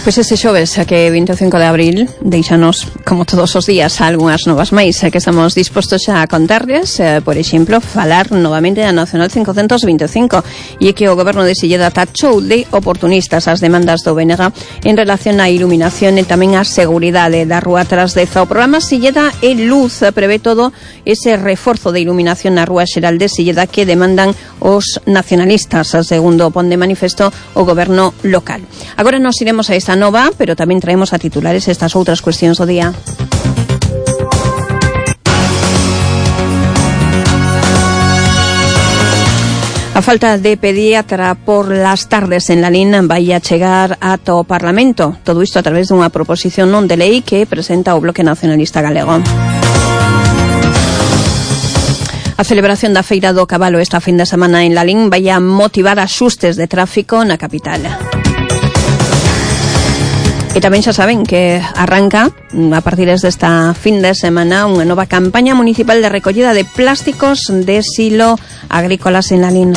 Pois ese xoves, que vinte e cinco de abril, deixanos, como todos os días, algunhas novas máis que estamos dispostos xa a contarles. Eh, por exemplo, falar novamente da Nacional cincocentos vinte e cinco, e que o Goberno de Silleda tachou de oportunistas as demandas do B N G en relación á iluminación e tamén á seguridade da Rúa Tras Deza. O programa Silleda e Luz prevé todo ese reforzo de iluminación na Rúa Xeral de Silleda que demandan os nacionalistas, segundo pon de manifesto o Goberno local. Agora nos iremos a esta nova, pero tamén traemos a titulares estas outras cuestións do día. A falta de pediatra por las tardes en Lalín vai a chegar ata o Parlamento. Todo isto a través dunha proposición non de lei que presenta o Bloque Nacionalista Galego. A celebración da Feira do Cabalo esta fin de semana en Lalín vai a motivar axustes de tráfico na capital. E tamén xa saben que arranca a partir desta fin de semana unha nova campaña municipal de recollida de plásticos de silo agrícolas en Lalín.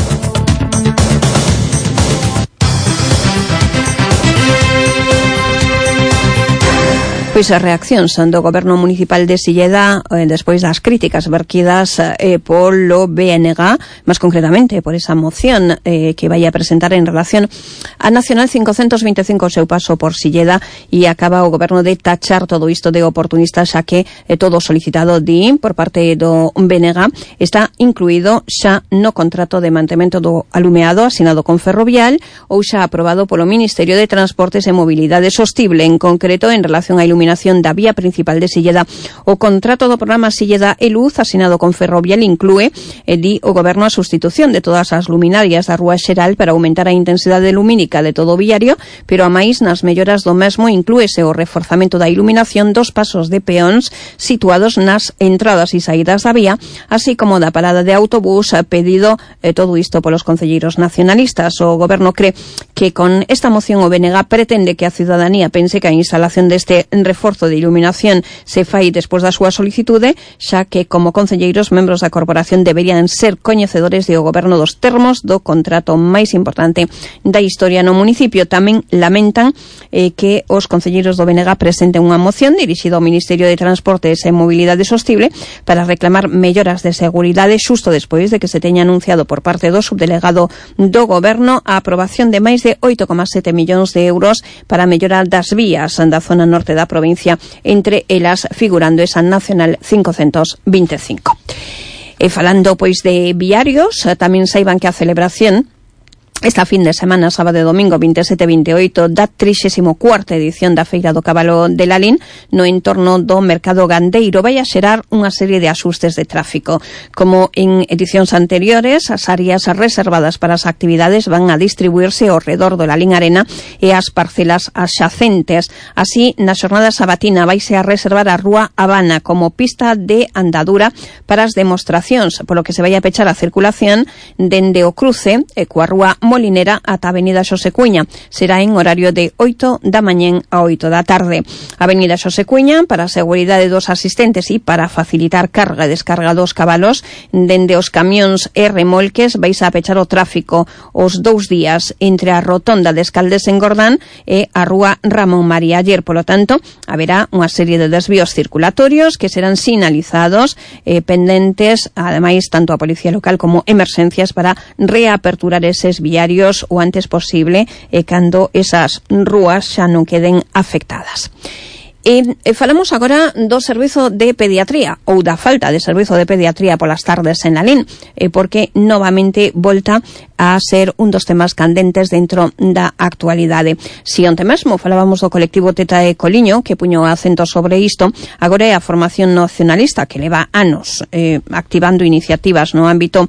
Pois as reaccións do Goberno Municipal de Silleda eh, despois das críticas verquidas eh, polo B N G, máis concretamente por esa moción eh, que vai a presentar en relación a Nacional cincocentos vinte e cinco, o seu paso por Silleda, e acaba o Goberno de tachar todo isto de oportunista, xa que eh, todo solicitado di por parte do B N G está incluído xa no contrato de mantemento do alumeado asinado con Ferrovial ou xa aprobado polo Ministerio de Transportes e Mobilidade Sostible. En concreto, en relación á iluminación da vía principal de Silleda, o contrato do programa Silleda e Luz asinado con Ferrovial inclúe, e di o Goberno, a sustitución de todas as luminarias da Rúa Xeral para aumentar a intensidade lumínica de todo o viario, pero a máis nas melloras do mesmo inclúese o reforzamento da iluminación dos pasos de peóns situados nas entradas e saídas da vía, así como da parada de autobús, pedido eh, todo isto polos concelleiros nacionalistas. O Goberno cree que con esta moción o B N G pretende que a ciudadanía pense que a instalación deste reforzo de iluminación se fai despois da súa solicitude, xa que como concelleiros membros da corporación deberían ser coñecedores do Goberno dos termos do contrato máis importante da historia no municipio. Tamén lamentan eh, que os concelleiros do B N G presenten unha moción dirixida ao Ministerio de Transportes e Mobilidade Sostible para reclamar melloras de seguridade xusto despois de que se teña anunciado por parte do subdelegado do Goberno a aprobación de máis de oito coma sete millóns de euros para mellorar das vías da zona norte da provincia, entre elas figurando esa Nacional cincocentos vinte e cinco. E falando pois de viarios, tamén saiban que a celebración esta fin de semana, sábado e domingo vinte e sete e vinte e oito da trixésima cuarta edición da Feira do Cabalo de Lalín no entorno do mercado gandeiro vai a xerar unha serie de axustes de tráfico. Como en edicións anteriores, as áreas reservadas para as actividades van a distribuirse ao redor do Lalín Arena e as parcelas axacentes. Así, na xornada sabatina vaise a reservar a Rúa Habana como pista de andadura para as demostracións, polo que se vai a pechar a circulación dende o cruce e coa Rúa Molinera ata a Avenida Xosé Cuña. Será en horario de oito da mañén a oito da tarde. A Avenida Xosé Cuña, para a seguridade dos asistentes e para facilitar carga e descarga dos cabalos, dende os camións e remolques vais a pechar o tráfico os dous días entre a rotonda de Escaldes en Gordán e a Rúa Ramón María Aller. Polo tanto, haberá unha serie de desvíos circulatorios que serán sinalizados eh, pendentes, ademais, tanto a Policía Local como emerxencias para reaperturar eses viarios o antes posible e cando esas rúas xa non queden afectadas. E, e falamos agora do servizo de pediatría ou da falta de servizo de pediatría polas tardes en Lalín, e porque novamente volta a ser un dos temas candentes dentro da actualidade. Si onte mesmo falábamos do colectivo Teta e Coliño, que puño acento sobre isto, agora é a formación nacionalista que leva anos eh, activando iniciativas no ámbito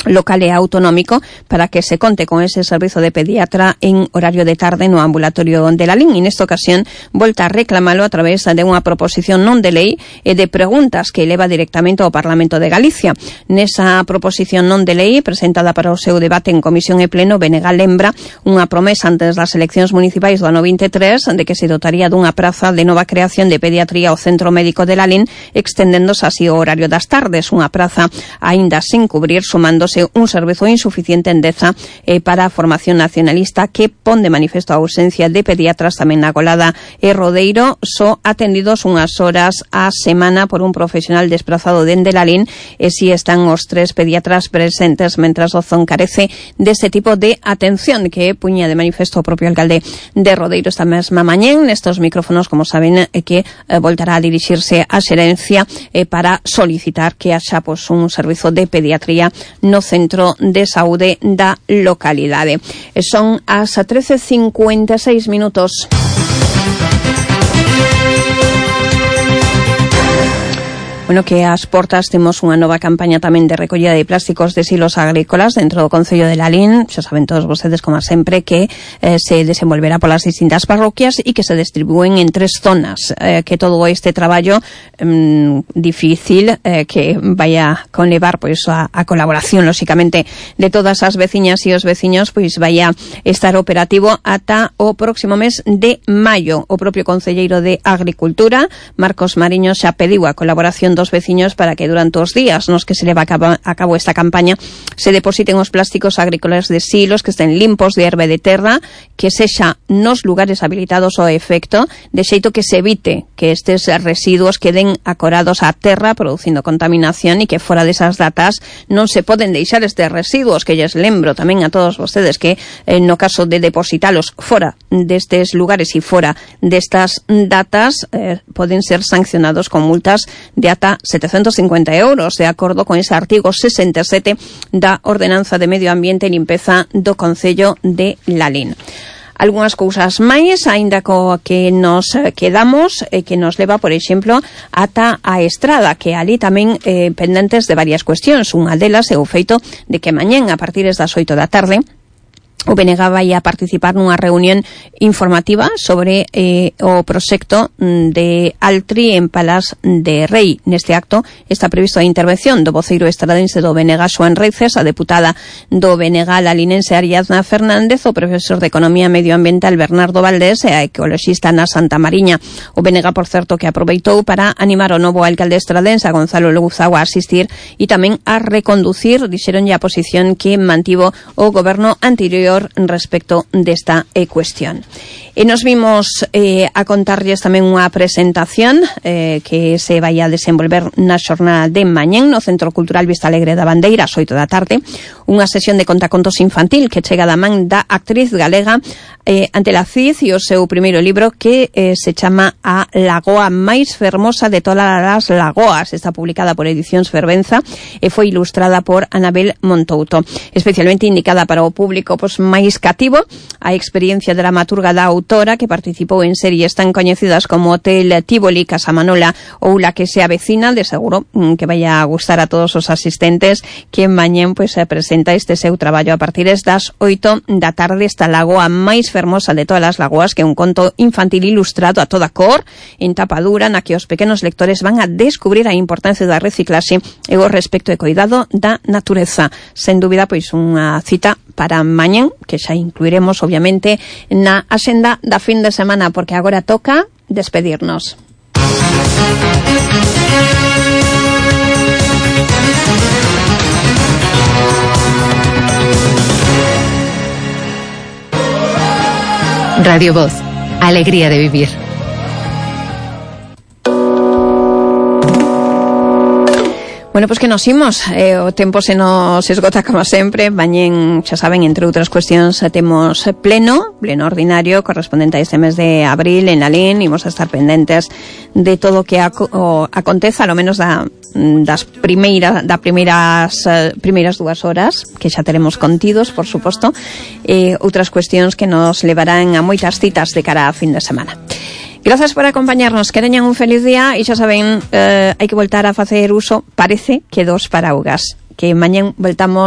local e autonómico para que se conte con ese servizo de pediatra en horario de tarde no ambulatorio de Lalín. E nesta ocasión volta a reclamalo a través de unha proposición non de lei e de preguntas que eleva directamente ao Parlamento de Galicia. Nesa proposición non de lei presentada para o seu debate en comisión e pleno, B N G lembra unha promesa antes das eleccións municipais do ano vinte e tres de que se dotaría dunha praza de nova creación de pediatría ao Centro Médico de Lalín, extendéndose así o horario das tardes, unha praza aínda sin cubrir, sumándose un servizo insuficiente en Deza eh, para a formación nacionalista que pon de manifesto a ausencia de pediatras tamén na Golada e Rodeiro, só atendidos unhas horas a semana por un profesional desplazado dende Lalín, e si están os tres pediatras presentes, mentras o zon carece dese tipo de atención que puña de manifesto o propio alcalde de Rodeiro esta mesma mañén nestos micrófonos, como saben, eh, que eh, voltará a dirixirse á xerencia eh, para solicitar que haxa pues, un servizo de pediatría no centro de saúde da localidade. Son as trece cincuenta e seis minutos. Bueno, que ás portas temos unha nova campaña tamén de recollida de plásticos de silos agrícolas dentro do Concello de Lalín. Xa saben todos vostedes, como sempre, que eh, se desenvolverá polas distintas parroquias e que se distribúen en tres zonas. Eh, que todo este traballo eh, difícil eh, que vaya conlevar pois a, a colaboración, lóxicamente, de todas as veciñas e os veciños, pois vaya estar operativo ata o próximo mes de maio. O propio concelleiro de Agricultura, Marcos Mariño, xa pediu a colaboración dos veciños para que durante os días nos que se leva a cabo, a cabo esta campaña se depositen os plásticos agrícolas de silos que estén limpos de herbe de terra, que sexa nos lugares habilitados ao efecto, de xeito que se evite que estes residuos queden acorados á terra producindo contaminación, e que fora desas datas non se poden deixar estes residuos, que lles lembro tamén a todos vostedes que eh, no caso de depositalos fora destes lugares e fora destas datas eh, poden ser sancionados con multas de ata setecientos cincuenta euros, de acordo con ese artigo sesenta e sete da Ordenanza de Medio Ambiente e Limpeza do Concello de Lalín. Algúnas cousas máis, aínda co que nos quedamos, eh, que nos leva, por exemplo, ata a Estrada, que ali tamén eh, pendentes de varias cuestións. Unha delas é o feito de que mañén, a partir das oito da tarde, o B N G vai a participar nunha reunión informativa sobre eh, o proxecto de Altri en Palas de Rei. Neste acto está previsto a intervención do voceiro estradense do B N G, Xoán Reices, a deputada do B N G lalinense Ariadna Fernández, o profesor de Economía Medioambiental Bernardo Valdés e a ecoloxista na Santa Mariña. O B N G, por certo, que aproveitou para animar o novo alcalde estradense, a Gonzalo Luzago, a asistir e tamén a reconducir, dixeronlle, a posición que mantivo o goberno anterior respecto desta eh, cuestión. E nos vimos eh, a contarlles tamén unha presentación eh, que se vai a desenvolver na xornada de mañén no Centro Cultural Vista Alegre da Bandeira ás oito da tarde, unha sesión de contacontos infantil que chega da man da actriz galega eh, Antela Cid e o seu primeiro libro que eh, se chama A Lagoa máis fermosa de todas as lagoas. Está publicada por Edicións Fervenza e foi ilustrada por Anabel Montouto, especialmente indicada para o público pois, máis cativo. A experiencia dramaturga da autora, que participou en series tan coñecidas como Hotel Tívoli, Casa Manola ou La que se avecina, de seguro que vai a gustar a todos os asistentes que mañén pois, se presenta este seu traballo a partir das oito da tarde. Esta Lagoa máis fermosa de todas as lagoas, que é un conto infantil ilustrado a toda cor, en tapa dura, na que os pequenos lectores van a descubrir a importancia da reciclaxe e o respecto e cuidado da natureza. Sen dúbida, pois unha cita para mañén, que xa incluiremos, obviamente, na axenda da fin de semana, porque agora toca despedirnos. Radio Voz, alegría de vivir. Bueno, pois pues que nos imos, eh, o tempo se nos esgota como sempre. Mañén, xa saben, entre outras cuestións, temos pleno, pleno ordinario correspondente a este mes de abril en Lalín. Imos a estar pendentes de todo o que aco o aconteza, ao menos da, das primeiras, da primeiras, uh, primeiras dúas horas, que xa teremos contidos, por suposto, e eh, outras cuestións que nos levarán a moitas citas de cara a fin de semana. Grazas por acompañarnos, que teñan un feliz día e xa saben, eh, hai que voltar a facer uso, parece que dos paraugas, que mañén voltamos